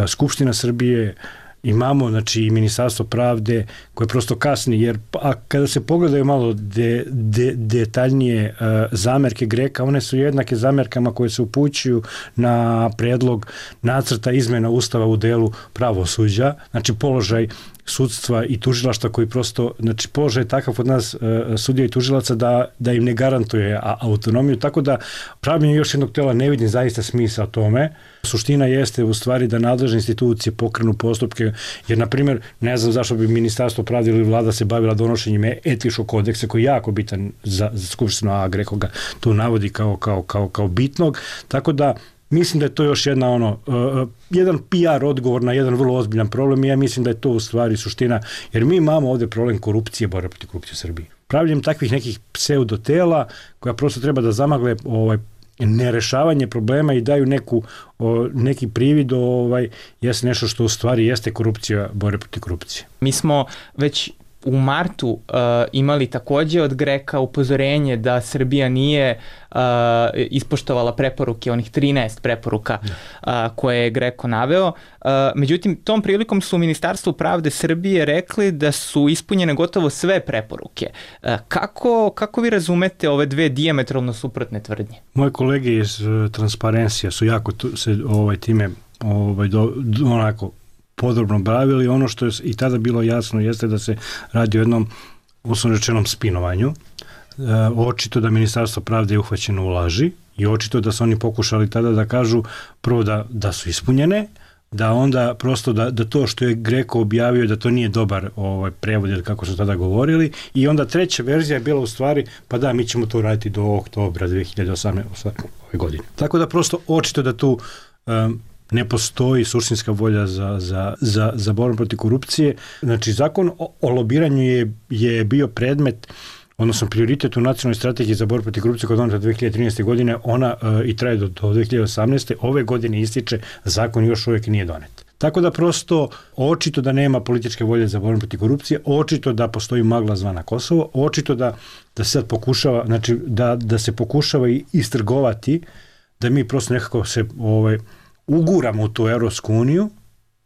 Skupština Srbije, imamo znači i Ministarstvo pravde koje prosto kasni, jer a kada se pogledaju malo de, de, detaljnije uh, zamerke Greka, one su jednake zamerkama koje se upućuju na predlog nacrta izmena Ustava u delu pravosuđa, znači položaj sudstva i tužilaštva koji prosto, znači položaj je takav od nas uh, sudija i tužilaca da, da im ne garantuje a, autonomiju, tako da pravljenje još jednog tela ne vidim zaista smisla tome. Suština jeste u stvari da nadležne institucije pokrenu postupke, jer na primjer ne znam zašto bi Ministarstvo pravde ili vlada se bavila donošenjem etičkog kodeksa koji je jako bitan za, za Skupštinu, a Greko ga tu navodi kao, kao, kao, kao bitnog, tako da mislim da je to još jedna ono, uh, jedan P R odgovor na jedan vrlo ozbiljan problem i ja mislim da je to u stvari suština, jer mi imamo ovde problem korupcije, borbe protiv korupcije u Srbiji. Pravljenjem takvih nekih pseudotela koja prosto treba da zamagle ovaj, nerešavanje problema i daju neku, o, neki privid ovaj, jeste nešto što u stvari jeste korupcija, borbe protiv korupcije. Mi smo već u martu uh, imali takođe od Greka upozorenje da Srbija nije uh, ispoštovala preporuke, onih trinaest preporuka uh, koje je Greko naveo. Uh, međutim, tom prilikom su u Ministarstvu pravde Srbije rekli da su ispunjene gotovo sve preporuke. Uh, kako, kako vi razumete ove dve dijametralno suprotne tvrdnje? Moje kolege iz uh, Transparencija su jako tu, se ovaj, time ovaj, do, do, onako podrobno bavili. Ono što je i tada bilo jasno jeste da se radi o jednom uslovno rečenom spinovanju. E, očito da Ministarstvo pravde je uhvaćeno u laži i očito da su oni pokušali tada da kažu prvo da, da su ispunjene, da onda prosto da, da to što je Greko objavio da to nije dobar ovaj, prevod ili kako su tada govorili i onda treća verzija je bila u stvari pa da mi ćemo to raditi do oktobra dve hiljade osamnaeste godine. Tako da prosto očito da tu um, ne postoji suštinska volja za, za, za, za borbu protiv korupcije. Znači, zakon o, o lobiranju je, je bio predmet, odnosno prioritet u nacionalnoj strategiji za borbu protiv korupcije koja je doneta dve hiljade trinaeste. godine, ona uh, i traje do, do dve hiljade osamnaeste. Ove godine ističe, zakon još uvijek nije donet. Tako da prosto očito da nema političke volje za borbu protiv korupcije, očito da postoji magla zvana Kosovo, očito da, da se sad pokušava, znači da, da se pokušava i istrgovati, da mi prosto nekako se ovaj, uguramo u tu Evropsku uniju,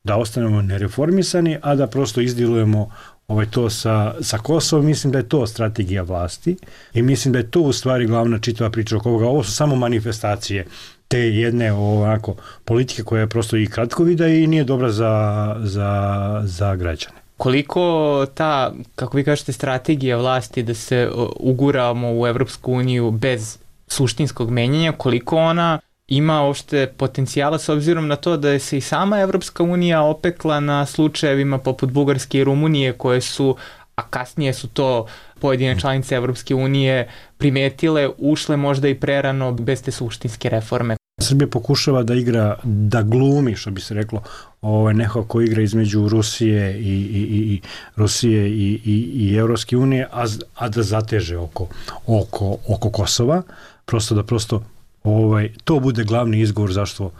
da ostanemo nereformisani, a da prosto izdilujemo ovaj, to sa, sa Kosovom. Mislim da je to strategija vlasti i mislim da je to u stvari glavna čitava priča oko ovoga. Ovo su samo manifestacije te jedne ovako politike koja je prosto i kratkovida i nije dobra za, za, za građane. Koliko ta, kako vi kažete, strategija vlasti da se uguramo u Evropsku uniju bez suštinskog menjanja, koliko ona ima uopšte potencijala s obzirom na to da je se i sama Evropska unija opekla na slučajevima poput Bugarske i Rumunije koje su, a kasnije su to pojedine članice Evropske unije primetile, ušle možda i prerano bez te suštinske reforme. Srbija pokušava da igra, da glumi, što bi se reklo, ovaj, neko ko igra između Rusije i, i, i Rusije i, i, i Evropske unije, a, a da zateže oko, oko, oko Kosova, prosto da prosto Ovaj, to bude glavni izgovor zašto uh,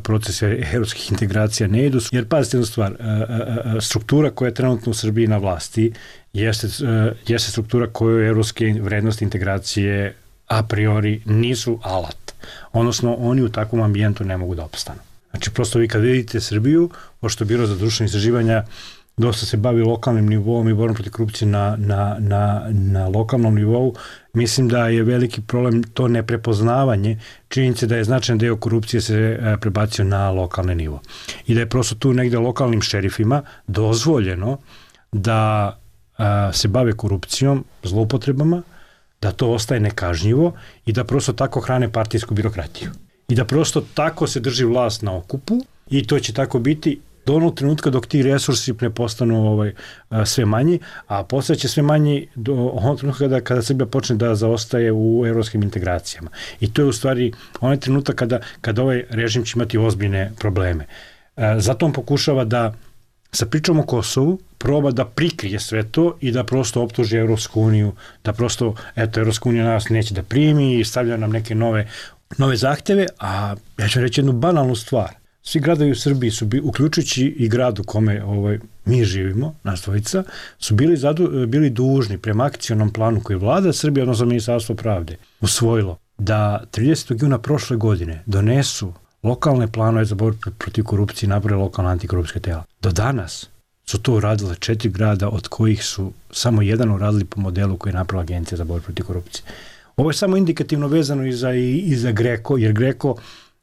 procesi evropskih integracija ne idu. Jer pazite jednu stvar, uh, uh, struktura koja je trenutno u Srbiji na vlasti jeste, uh, jeste struktura koju evropske vrednosti integracije a priori nisu alat. Odnosno, oni u takvom ambijentu ne mogu da opstanu. Znači, prosto vi kad vidite Srbiju, pošto Biro za društvene istraživanja dosta se bavi lokalnim nivoom i borbom protiv korupcije na, na, na, na lokalnom nivou. Mislim da je veliki problem to neprepoznavanje činjenice da je značajan deo korupcije se prebacio na lokalni nivo. I da je prosto tu negde lokalnim šerifima dozvoljeno da a, se bave korupcijom, zloupotrebama, da to ostaje nekažnjivo i da prosto tako hrane partijsku birokratiju. I da prosto tako se drži vlast na okupu i to će tako biti do onog trenutka dok ti resursi ne postanu ovaj, sve manji, a postaće sve manji do onog trenutka kada, kada Srbija počne da zaostaje u evropskim integracijama. I to je u stvari onaj trenutak kada, kada ovaj režim će imati ozbiljne probleme. Zato on pokušava da sa pričom o Kosovu proba da prikrije sve to i da prosto optuži Evropsku uniju, da prosto, eto, Evropska unija nas neće da primi i stavlja nam neke nove, nove zahteve, a ja ću reći jednu banalnu stvar. Svi gradovi u Srbiji su, uključujući i grad u kome ovaj, mi živimo, nas dvojica, su bili, zadu, bili dužni prema akcionom planu koji vlada Srbije, odnosno Ministarstvo pravde, usvojilo da tridesetog juna prošle godine donesu lokalne planove za borbu protiv korupcije i naprave lokalna antikorupcijska tela. Do danas su to uradile četiri grada, od kojih su samo jedan uradili po modelu koji je napravila Agencija za borbu protiv korupcije. Ovo je samo indikativno vezano i za, i, i za Greko, jer Greko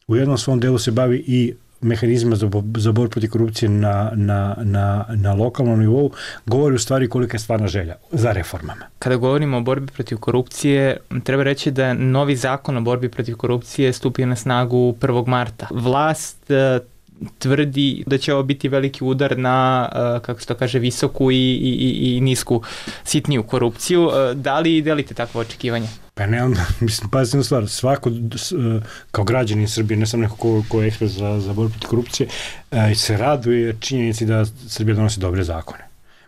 u jednom svom delu se bavi i mehanizma za, za borbu protiv korupcije na, na, na, na lokalnom nivou, govori u stvari kolika je stvarna želja za reformama. Kada govorimo o borbi protiv korupcije, treba reći da novi zakon o borbi protiv korupcije stupio na snagu prvog marta. Vlast e, tvrdi da će ovo biti veliki udar na, e, kako se to kaže, visoku i, i, i nisku sitniju korupciju. E, da li delite takvo očekivanje? Pa ne, onda, mislim, pazite na stvar, svako kao građanin Srbije, ne sam neko ko, ko je ekspert za, za borbu protiv korupcije, se raduje činjenici da Srbija donosi dobre zakone.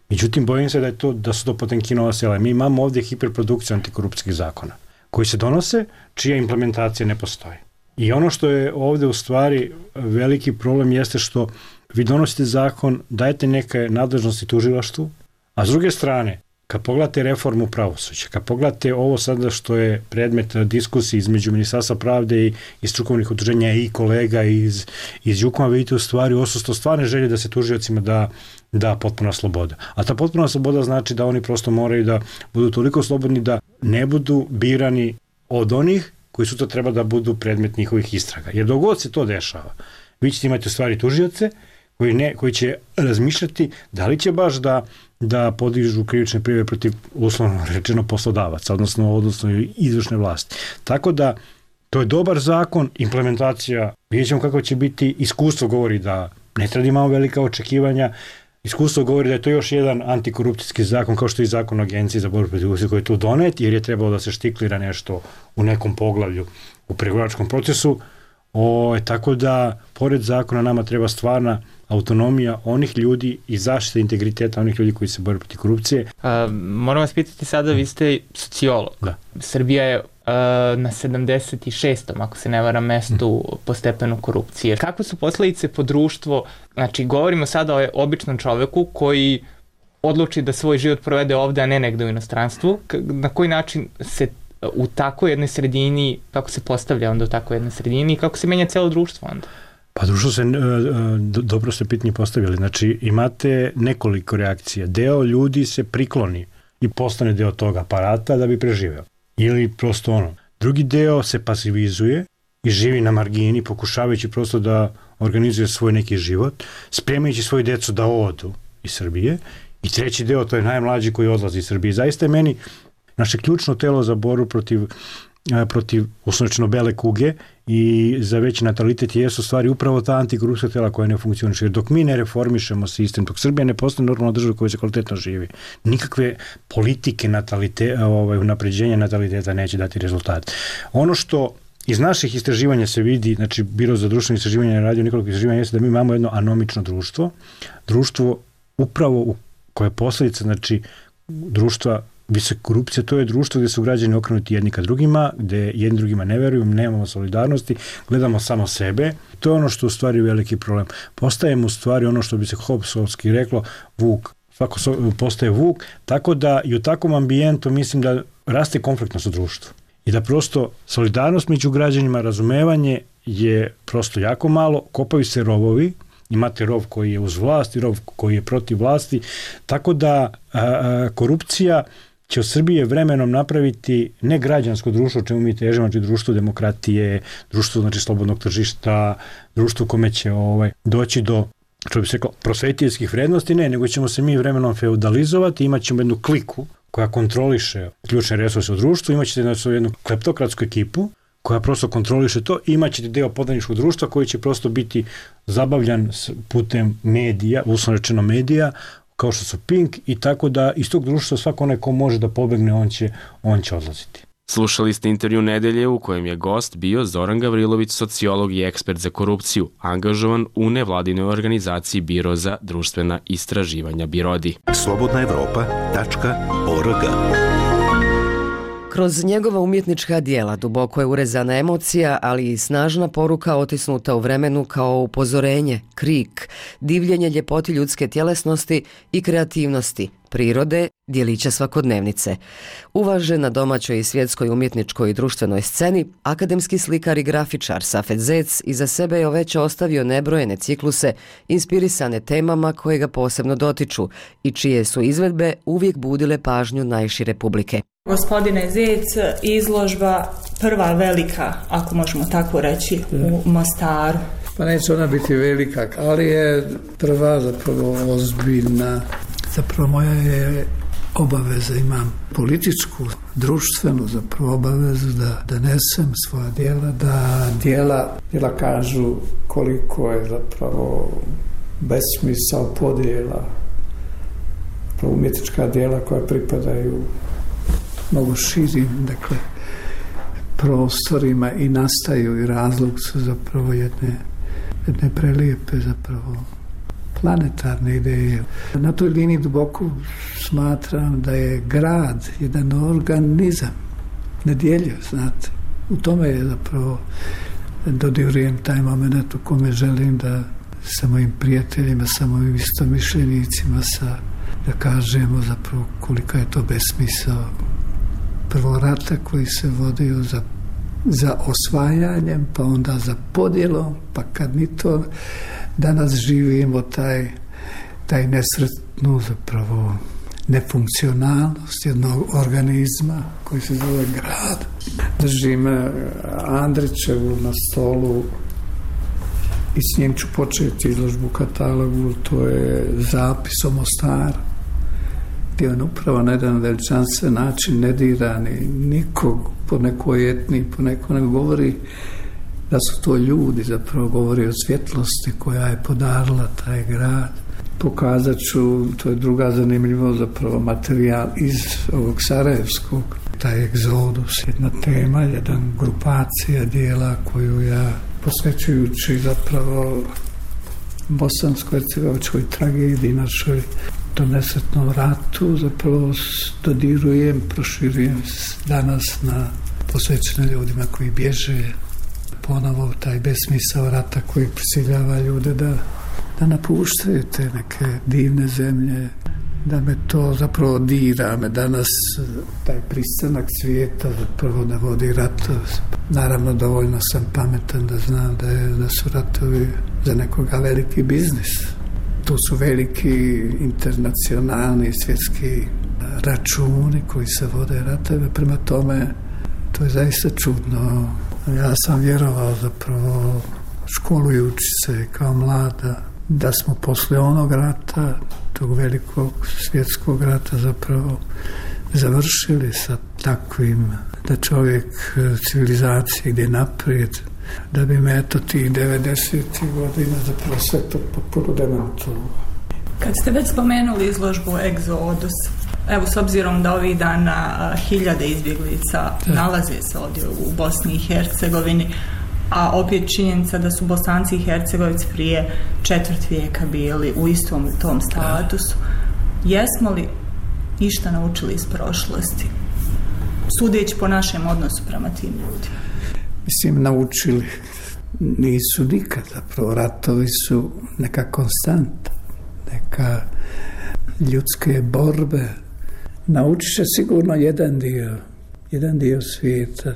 Međutim, bojim se da, je to, da su to Potemkinova sela. Mi imamo ovdje hiperprodukciju antikorupcijskih zakona koji se donose, čija implementacija ne postoji. I ono što je ovdje u stvari veliki problem jeste što vi donosite zakon, dajete neke nadležnosti tužilaštvu, a s druge strane, kad pogledate reformu pravosuđa, kad pogledate ovo sada što je predmet diskusije između Ministarstva pravde i, i strukovnih udruženja i kolega iz, iz Jukoma, vidite u stvari odsustvo stvarne želje da se tužiocima da, da potpuna sloboda. A ta potpuna sloboda znači da oni prosto moraju da budu toliko slobodni da ne budu birani od onih koji su to treba da budu predmet njihovih istraga. Jer dok god se to dešava, vi ćete imati u stvari tužioce koji, ne, koji će razmišljati da li će baš da da podižu krivične prijave protiv, uslovno rečeno, poslodavaca, odnosno, odnosno izvršne vlasti. Tako da, to je dobar zakon, implementacija, vidjet ćemo kako će biti, iskustvo govori da ne treba imamo velika očekivanja, iskustvo govori da je to još jedan antikorupcijski zakon, kao što je i zakon o Agenciji za borbu protiv korupcije koji je tu donet, jer je trebalo da se štiklira nešto u nekom poglavlju u pregovaračkom procesu. O, tako da, pored zakona, nama treba stvarna autonomija onih ljudi i zaštita integriteta onih ljudi koji se bore protiv korupcije. A, moram vas pitati sada, vi ste sociolog. Da. Srbija je a, na sedamdeset šestom ako se ne varam, mestu mm. po stepenu korupcije. Kakve su posledice po društvo? Znači, govorimo sada o običnom čoveku koji odluči da svoj život provede ovde, a ne negde u inostranstvu. Na koji način se u takoj jednoj sredini, kako se postavlja onda u takoj jednoj sredini i kako se menja celo društvo onda? Pa društvo se, dobro ste pitanje postavili, znači imate nekoliko reakcija. Deo ljudi se prikloni i postane deo tog aparata da bi preživeo. Ili prosto ono. Drugi deo se pasivizuje i živi na margini, pokušavajući prosto da organizuje svoj neki život, spremajući svoju decu da odu iz Srbije. I treći deo, to je najmlađi koji odlazi iz Srbije. Zaista je meni naše ključno telo za borbu protiv protiv uslovno bele kuge i za veći natalitet jesu stvari upravo ta antikorupcijska tela koja ne funkcioniše. Dok mi ne reformišemo sistem, dok Srbija ne postane normalna država koja se kvalitetno živi, nikakve politike natalite, ovaj, unapređenja nataliteta neće dati rezultat. Ono što iz naših istraživanja se vidi, znači Biro za društveno istraživanje je radio nekoliko istraživanja, jeste da mi imamo jedno anomično društvo, društvo upravo u koje je posljedica, znači društva visoke korupcije, to je društvo gdje su građani okrenuti jedni ka drugima, gdje jedni drugima ne veruju, nemamo solidarnosti, gledamo samo sebe. To je ono što u stvari veliki problem. Postajemo u stvari ono što bi se Hobbesovski reklo vuk, svako postaje vuk, tako da i u takvom ambijentu mislim da raste konfliktnost u društvu. I da prosto solidarnost među građanima, razumevanje je prosto jako malo, kopaju se rovovi imate rov koji je uz vlast i rov koji je protiv vlasti, tako da a, a, korupcija će od Srbije vremenom napraviti ne građansko društvo, o čemu mi težimo, znači društvo demokratije, društvo znači slobodnog tržišta, društvo kome će ovaj, doći do, što bi se rekao, prosvetiteljskih vrednosti, ne, nego ćemo se mi vremenom feudalizovati, imat ćemo jednu kliku koja kontroliše ključne resurse u društvu, imat ćete znači, jednu kleptokratsku ekipu koja prosto kontroliše to, imat ćete deo podaničkog društva koji će prosto biti zabavljan putem medija, uslovno rečeno medija, kao što su Pink, i tako da iz tog društva svako onaj ko može da pobegne, on će, on će odlaziti. Slušali ste intervju nedelje u kojem je gost bio Zoran Gavrilović, sociolog i ekspert za korupciju, angažovan u nevladinoj organizaciji Biro za društvena istraživanja BIRODI. slobodna evropa tačka org. Kroz njegova umjetnička dijela duboko je urezana emocija, ali i snažna poruka otisnuta u vremenu kao upozorenje, krik, divljenje ljepoti ljudske tjelesnosti i kreativnosti, prirode, djelića svakodnevnice. Uvažen na domaćoj i svjetskoj umjetničkoj i društvenoj sceni, akademski slikar i grafičar Safet Zec iza sebe je već ostavio nebrojene cikluse inspirisane temama koje ga posebno dotiču i čije su izvedbe uvijek budile pažnju najšire publike. Gospodine Zec, izložba prva velika, ako možemo tako reći, u Mostaru. Pa neće ona biti velika, ali je prva zapravo ozbiljna. Zapravo moja je obaveza, imam političku, društvenu zapravo obavezu da donesem svoja djela, da djela, djela kažu koliko je zapravo besmisao podjela, umjetnička djela koja pripadaju mnogo širim, dakle, prostorima i nastaju i razlog su zapravo jedne, jedne prelijepe zapravo planetarne ideje. Na toj liniji duboko smatram da je grad jedan organizam, nedjeljiv, znate. U tome je zapravo dodirujem taj moment u kome želim da sa mojim prijateljima, sa mojim istomišljenicima, sa, da kažemo zapravo kolika je to besmisao prvo rata koji se vodio za, za osvajanjem, pa onda za podjelom, pa kad ni to danas živimo taj, taj nesretnu zapravo nefunkcionalnost jednog organizma koji se zove grad. Držim Andrićevu na stolu i s njim ću početi izložbu katalogu, to je zapis o Mostaru, gdje on upravo na jedan veličanstven način ne dira ni nikog po nekoj etniji, po nekom, nego govori da su to ljudi, zapravo govori o svjetlosti koja je podarila taj grad. Pokazat ću, to je druga zanimljiva zapravo materijal iz ovog sarajevskog, taj egzodus, jedna tema, jedan grupacija dijela koju ja posvećujući zapravo bosansko-hercegovačkoj tragediji, našoj to nesretnom ratu, zapravo dodirujem, proširujem danas na posvećene ljudima koji bježe, ponovo taj besmisao rata koji prisiljava ljude da, da napuštaju te neke divne zemlje, da me to zapravo dira, me danas taj pristanak svijeta zapravo da vodi ratove. Naravno, dovoljno sam pametan da znam da, je, da su ratovi za nekoga veliki biznis. Tu su veliki internacionalni svjetski računi koji se vode ratove, prema tome to je zaista čudno. Ja sam vjerovao zapravo školujući se kao mlada da smo posle onog rata, tog velikog svjetskog rata zapravo završili sa takvim da čovjek civilizacije ide naprijed, da bi me eto tih devedesetih godina zapravo sve to potpuno demantovalo. Kad ste već spomenuli izložbu Egzodus, evo s obzirom da ovih dana hiljade izbjeglica da. nalaze se ovdje u Bosni i Hercegovini, a opet činjenica da su Bosanci i Hercegovici prije četvrt vijeka bili u istom tom statusu. Jesmo li išta naučili iz prošlosti, sudeći po našem odnosu prema tim ljudima? Mislim, naučili nisu nikad, zapravo ratovi su neka konstanta, neka ljudske borbe. Naučit će sigurno jedan dio, jedan dio svijeta.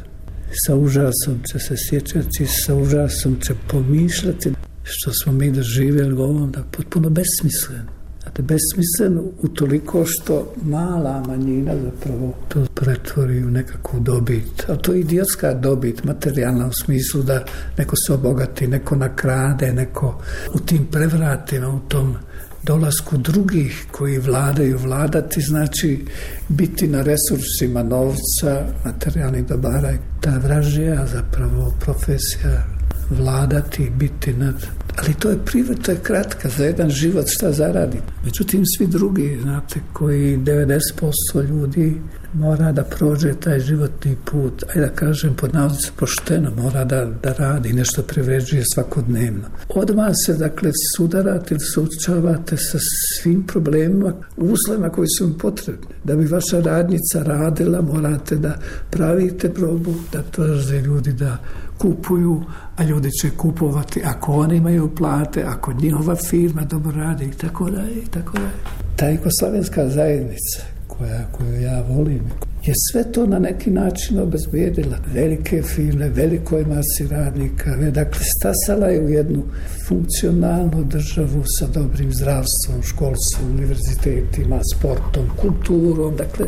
Sa užasom će se sjećati, sa užasom će pomišljati što smo mi doživjeli u ovom, da potpuno besmislen. Znate, besmislen utoliko što mala manjina zapravo to pretvori u nekakvu dobit. A to je idiotska dobit, materijalna u smislu da neko se obogati, neko nakrade, neko u tim prevratima, u tom dolasku drugih koji vladaju. Vladati znači biti na resursima novca, materijalnih dobara. Ta vražija zapravo profesija vladati, biti nad... Ali to je privat, to je kratka, za jedan život šta zaradi. Međutim, svi drugi, znate, koji devedeset posto ljudi mora da prođe taj životni put, ajde da kažem pod navodnicima pošteno, mora da, da radi, nešto privređuje svakodnevno. Odmah se, dakle, sudarate ili suočavate sa svim problemima, uslovima koji su vam potrebni. Da bi vaša radnica radila, morate da pravite probu, da traže ljudi da kupuju, a ljudi će kupovati ako oni imaju plate, ako njihova firma dobro radi i tako dalje i tako dalje. Ta jugoslavenska zajednica koja, koju ja volim je sve to na neki način obezbijedila. Velike firme, velikoj masi radnika, dakle stasala je u jednu funkcionalnu državu sa dobrim zdravstvom, školstvom, univerzitetima, sportom, kulturom, dakle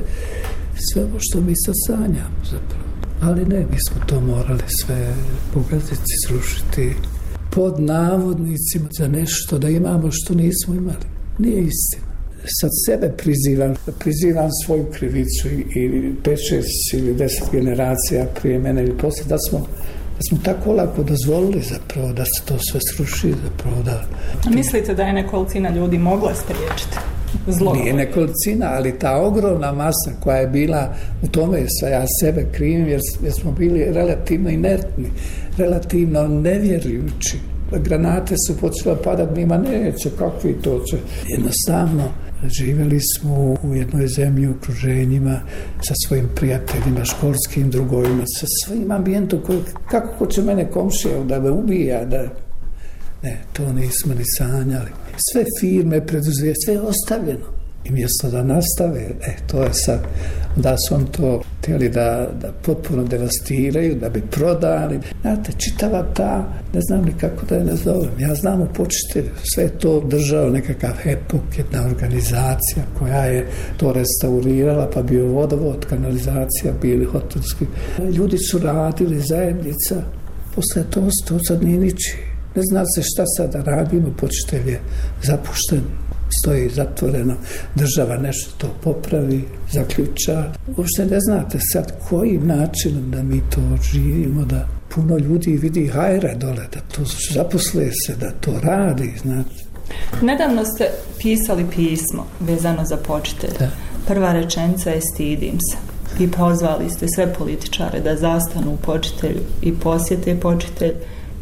sve ovo što mi sad sanjamo zapravo. Ali ne, mi smo to morali sve pogaziti, srušiti pod navodnicima za nešto da imamo što nismo imali. Nije istina. Sad sebe prizivam, prizivam svoju krivicu i pet, šest ili deset generacija prije mene ili poslije, da smo, da smo tako lako dozvolili zapravo da se to sve sruši, zapravo da... A mislite da je nekolicina ljudi mogla spriječiti zlo? Nije nekolicina, ali ta ogromna masa koja je bila u tome, sve ja sebe krivim jer, jer smo bili relativno inertni, relativno nevjerujući. Granate su počele padati, njima neće, kakvi to će. Jednostavno, živjeli smo u jednoj zemlji, u okruženjima, sa svojim prijateljima, školskim drugovima, sa svojim ambijentom, koji, kako ko će mene komšija da me ubija, da... Ne, to nismo ni sanjali. Sve firme, preduzije, sve je ostavljeno. I mjesto da nastave, e, to je sad, da su on to htjeli da, da potpuno devastiraju, da bi prodali. Znate, čitava ta, ne znam ni kako da je nazovem, ja znam u počitelju, sve je to držao nekakav hepok, jedna organizacija koja je to restaurirala, pa bio vodovod, kanalizacija, bili hotelski. Ljudi su radili, zajednica, posle to, to sad nije niči. Ne zna se šta sada radimo, počitelj je zapušten, stoji zatvoreno, država nešto to popravi, zaključa. Uopšte ne znate sad kojim načinom da mi to živimo, da puno ljudi vidi hajra dole, da to zaposle se, da to radi, znate. Nedavno ste pisali pismo vezano za počitelj. Da. Prva rečenica je stidim se. I pozvali ste sve političare da zastanu u počitelju i posjete počitelj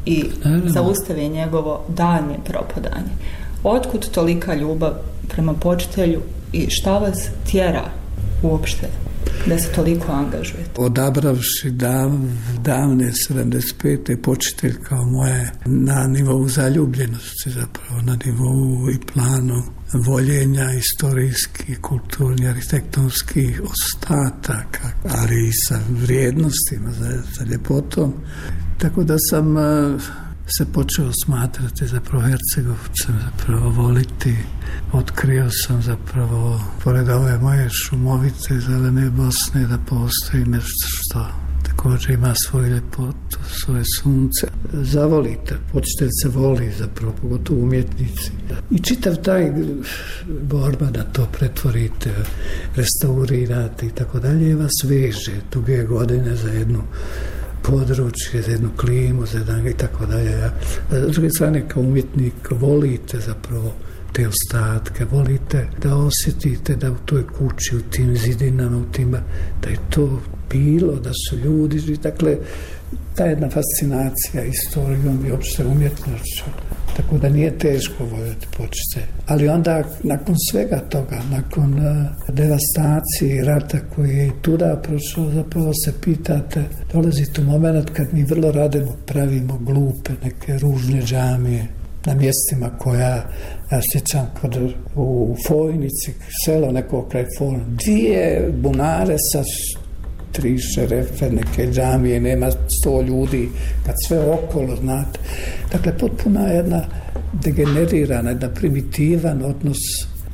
i zaustave njegovo daljnje propadanje. Otkud tolika ljubav prema počitelju i šta vas tjera uopšte da se toliko angažujete? Odabravši dav, davne sedamdeset pete počitelj kao moje na nivou zaljubljenosti, zapravo na nivou i planu voljenja istorijskih, kulturnih, arhitektonskih ostataka, ali i sa vrijednostima, za, za ljepotom. Tako da sam se počeo smatrati zapravo Hercegovcem, zapravo voliti. Otkrio sam zapravo, pored ove moje šumovite zelene Bosne, da postoji nešto što također ima svoju ljepotu, svoje sunce. Zavolite, počitelj se voli zapravo, pogotovo umjetnici. I čitav taj borba da to pretvorite, restaurirate i tako dalje, vas veže duge godine za jednu područje, za jednu klimu, za jedan i tako dalje. S druge strane, kao umjetnik, volite zapravo te ostatke, volite da osjetite da u toj kući, u tim zidinama, u tim, da je to bilo, da su ljudi, dakle, ta jedna fascinacija istorijom i opšte umjetnošću. Tako da nije teško voljeti počitelj. Ali onda, nakon svega toga, nakon uh, devastacije i rata koji je i tuda prošao, zapravo se pitate, dolazi tu moment kad mi vrlo radimo, pravimo glupe, neke ružne džamije na mjestima koja, ja sjećam kod u Fojnici, selo neko kraj Fojnici, dvije bunare sa tri šerefe, neke džamije, nema sto ljudi, kad sve okolo, znate. Dakle, potpuna jedna degenerirana, jedna primitivan odnos.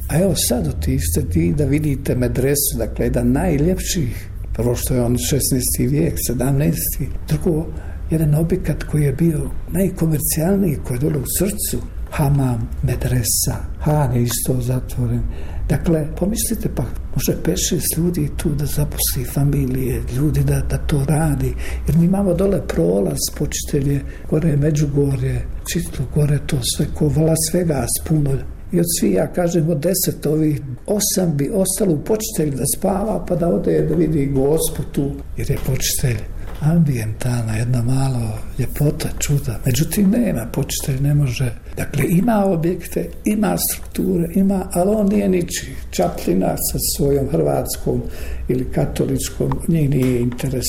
A evo sad otište ti da vidite medresu, dakle, jedan najljepših, prvo što je on šesnaesti vijek, sedamnaesti Drugo, jedan objekat koji je bio najkomercijalniji, koji je dole u srcu, hamam, medresa, Han je isto zatvoren. Dakle, pomislite pa, može pet šest ljudi tu da zaposli familije, ljudi da, da to radi, jer mi imamo dole prolaz, počitelje, gore je Međugorje, čitlo, gore to sve, ko vala svega puno. I od svi, ja kažem, od deset ovih, osam bi ostalo u počitelju da spava, pa da ode da vidi Gospu tu, jer je počitelj ambijentalna, jedna malo ljepota, čuda. Međutim, nema, počitelj ne može. Dakle, ima objekte, ima strukture, ima, ali on nije ničiji. Čaplina sa svojom hrvatskom ili katoličkom, njih nije interes.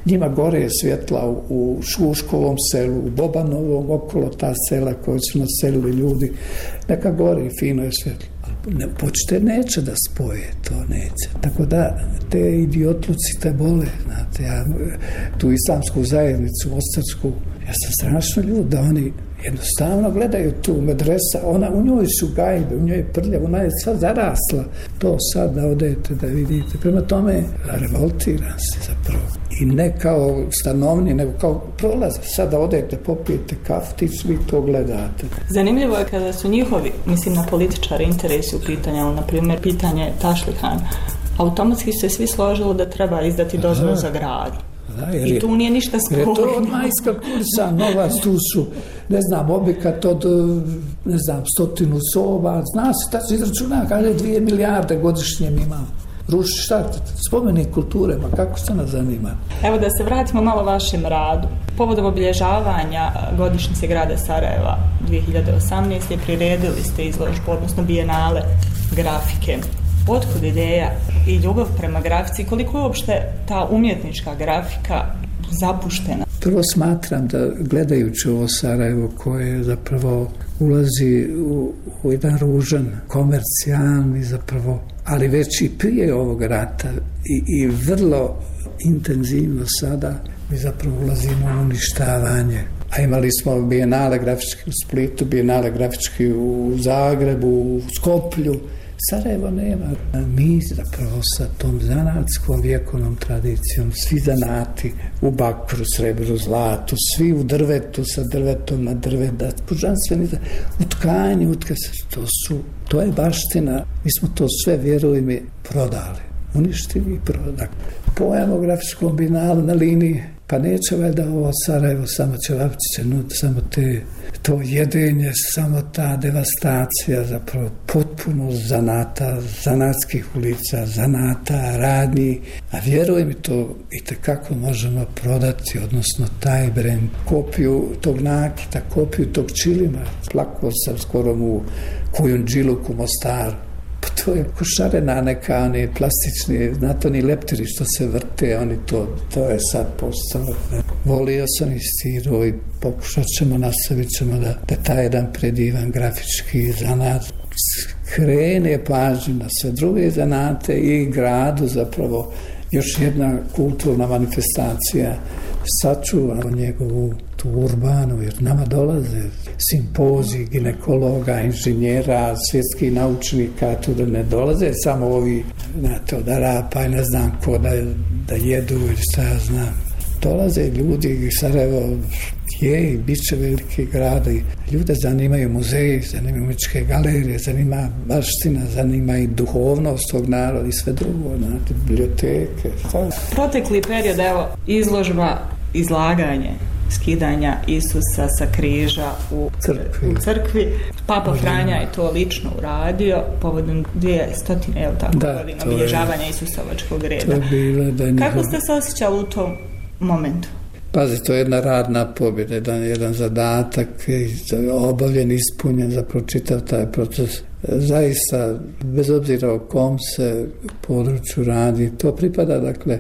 Njima gore je svjetla u, u Šuškovom selu, u Bobanovom, okolo ta sela koje su naselili ljudi. Neka gore fino je svjetlo. Ne, počite neće da spoje, to neće. Tako da te idiotluci te bole, znate, ja tu islamsku zajednicu, ostarsku, ja sam strašno ljud da oni jednostavno gledaju tu medresa, ona, u njoj su gajbe, u njoj je prljav, ona je sad zarasla. To sad da odete da vidite. Prema tome, revoltiram se zapravo. I ne kao stanovni, nego kao prolaz. Sad da odete, popijete kaftić, vi to gledate. Zanimljivo je kada su njihovi, mislim na političare, interesi u pitanju, na primjer pitanje Tašlihan, automatski se svi složilo da treba izdati dozvolu za grad. Da, I tu nije ništa sporno. Jer je to od majska kursa, novac, tu su, ne znam, objekat od, ne znam, stotinu soba, zna se, ta se izračuna, kaže dvije milijarde godišnje mi imamo. Ruši šta, spomenik kulture, ma kako se nas zanima? Evo da se vratimo malo vašem radu. Povodom obilježavanja godišnjice grada Sarajeva dvije hiljade osamnaeste. priredili ste izložbu, odnosno bijenale grafike. Otkud ideja i ljubav prema grafici? Koliko je uopšte ta umjetnička grafika zapuštena? Prvo smatram da gledajući ovo Sarajevo koje zapravo ulazi u, u jedan ružan, komercijalni zapravo, ali već i prije ovog rata i, i vrlo intenzivno sada mi zapravo ulazimo u uništavanje. A imali smo bijenale grafički u Splitu, bijenale grafički u Zagrebu, u Skoplju. Sarajevo nema. Mi zapravo sa tom zanatskom vjekovnom tradicijom, svi zanati u bakru, srebru, zlatu, svi u drvetu, sa drvetom na drveta, pužanstveni, u tkanju, utke se, to su, to je baština. Mi smo to sve, vjeruj mi, prodali. Uništili i prodali. Pojam o grafičkom binalu na liniji, pa neće valjda ovo Sarajevo, samo ćevapčiće, no, samo te, to jedenje, samo ta devastacija, zapravo potpuno zanata, zanatskih ulica, zanata, radnji, a vjeruj mi to i tekako možemo prodati, odnosno taj brend, kopiju tog nakita, kopiju tog čilima, plakao sam skoro u Kujundžiluku, Mostaru. To je košarena neka, oni plastični, znate, oni leptiri što se vrte, oni to, to je sad postalo. Volio sam i stiro i pokušat ćemo, nastavit ćemo da, da taj jedan predivan grafički zanat krene pažnju na sve druge zanate i gradu zapravo još jedna kulturna manifestacija sačuva njegovu tu urbanu, jer nama dolaze simpoziji ginekologa, inženjera, svjetskih naučnika, tu da ne dolaze samo ovi, znate, od Arapa i ne znam ko da, da jedu ili šta ja znam. Dolaze ljudi, Sarajevo je i bit će veliki grad i ljude zanimaju muzeji, zanimaju umetničke galerije, zanima baština, zanima i duhovnost tog naroda i sve drugo, znate, biblioteke. Šta? Protekli period, evo, izložba, izlaganje, skidanja Isusa sa križa u crkvi. U crkvi. Papa Franja je to lično uradio povodom dvijestotine, je li tako, da, godina obilježavanja Isusovačkog reda. To je bilo da njihov... Kako ste se osjećali u tom momentu? Pazi, to je jedna radna pobjeda, jedan, jedan zadatak obavljen, ispunjen za pročitav taj proces. Zaista, bez obzira o kom se području radi, to pripada, dakle,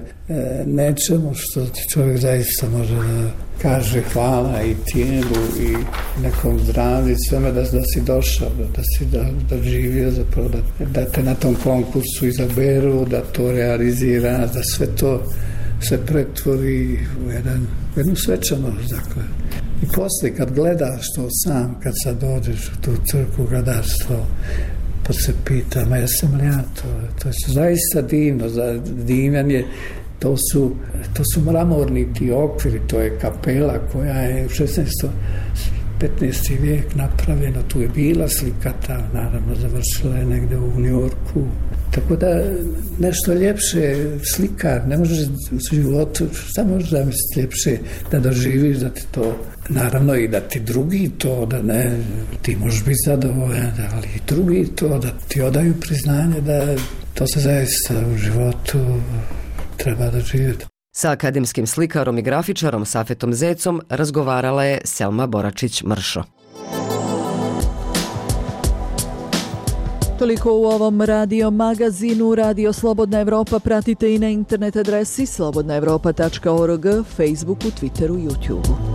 nečemu što čovjek zaista može da kaže hvala i tijelu i nekom zdravlju, sveme da, da si došao, da, da si da, da živio, zapravo, da, da te na tom konkursu izaberu, da to realizira, da sve to se pretvori u jedan, jednu svečanost, dakle. I poslije kad gledaš to sam, kad sad dođeš u tu crkvu, gledaš to, pa se pita, ma jesam li ja to? To je zaista divno, divan je, to su, to su mramorni ti okviri, to je kapela koja je u šesnaestom petnaesti vijek napravljena, tu je bila slikata, naravno završila je negde u New Yorku. Tako da nešto ljepše slikar, ne možeš u životu, šta možeš da misliš ljepše da doživiš, da ti to, naravno i da ti drugi to, da ne, ti možeš biti zadovoljan, ali i drugi to, da ti odaju priznanje da to se zaista u životu treba doživjeti. Sa akademskim slikarom i grafičarom Safetom Zecom razgovarala je Selma Boračić-Mršo. Toliko u ovom radio magazinu. Radio Slobodna Evropa pratite i na internet adresi slobodna evropa tačka org, Facebooku, Twitteru, YouTubeu.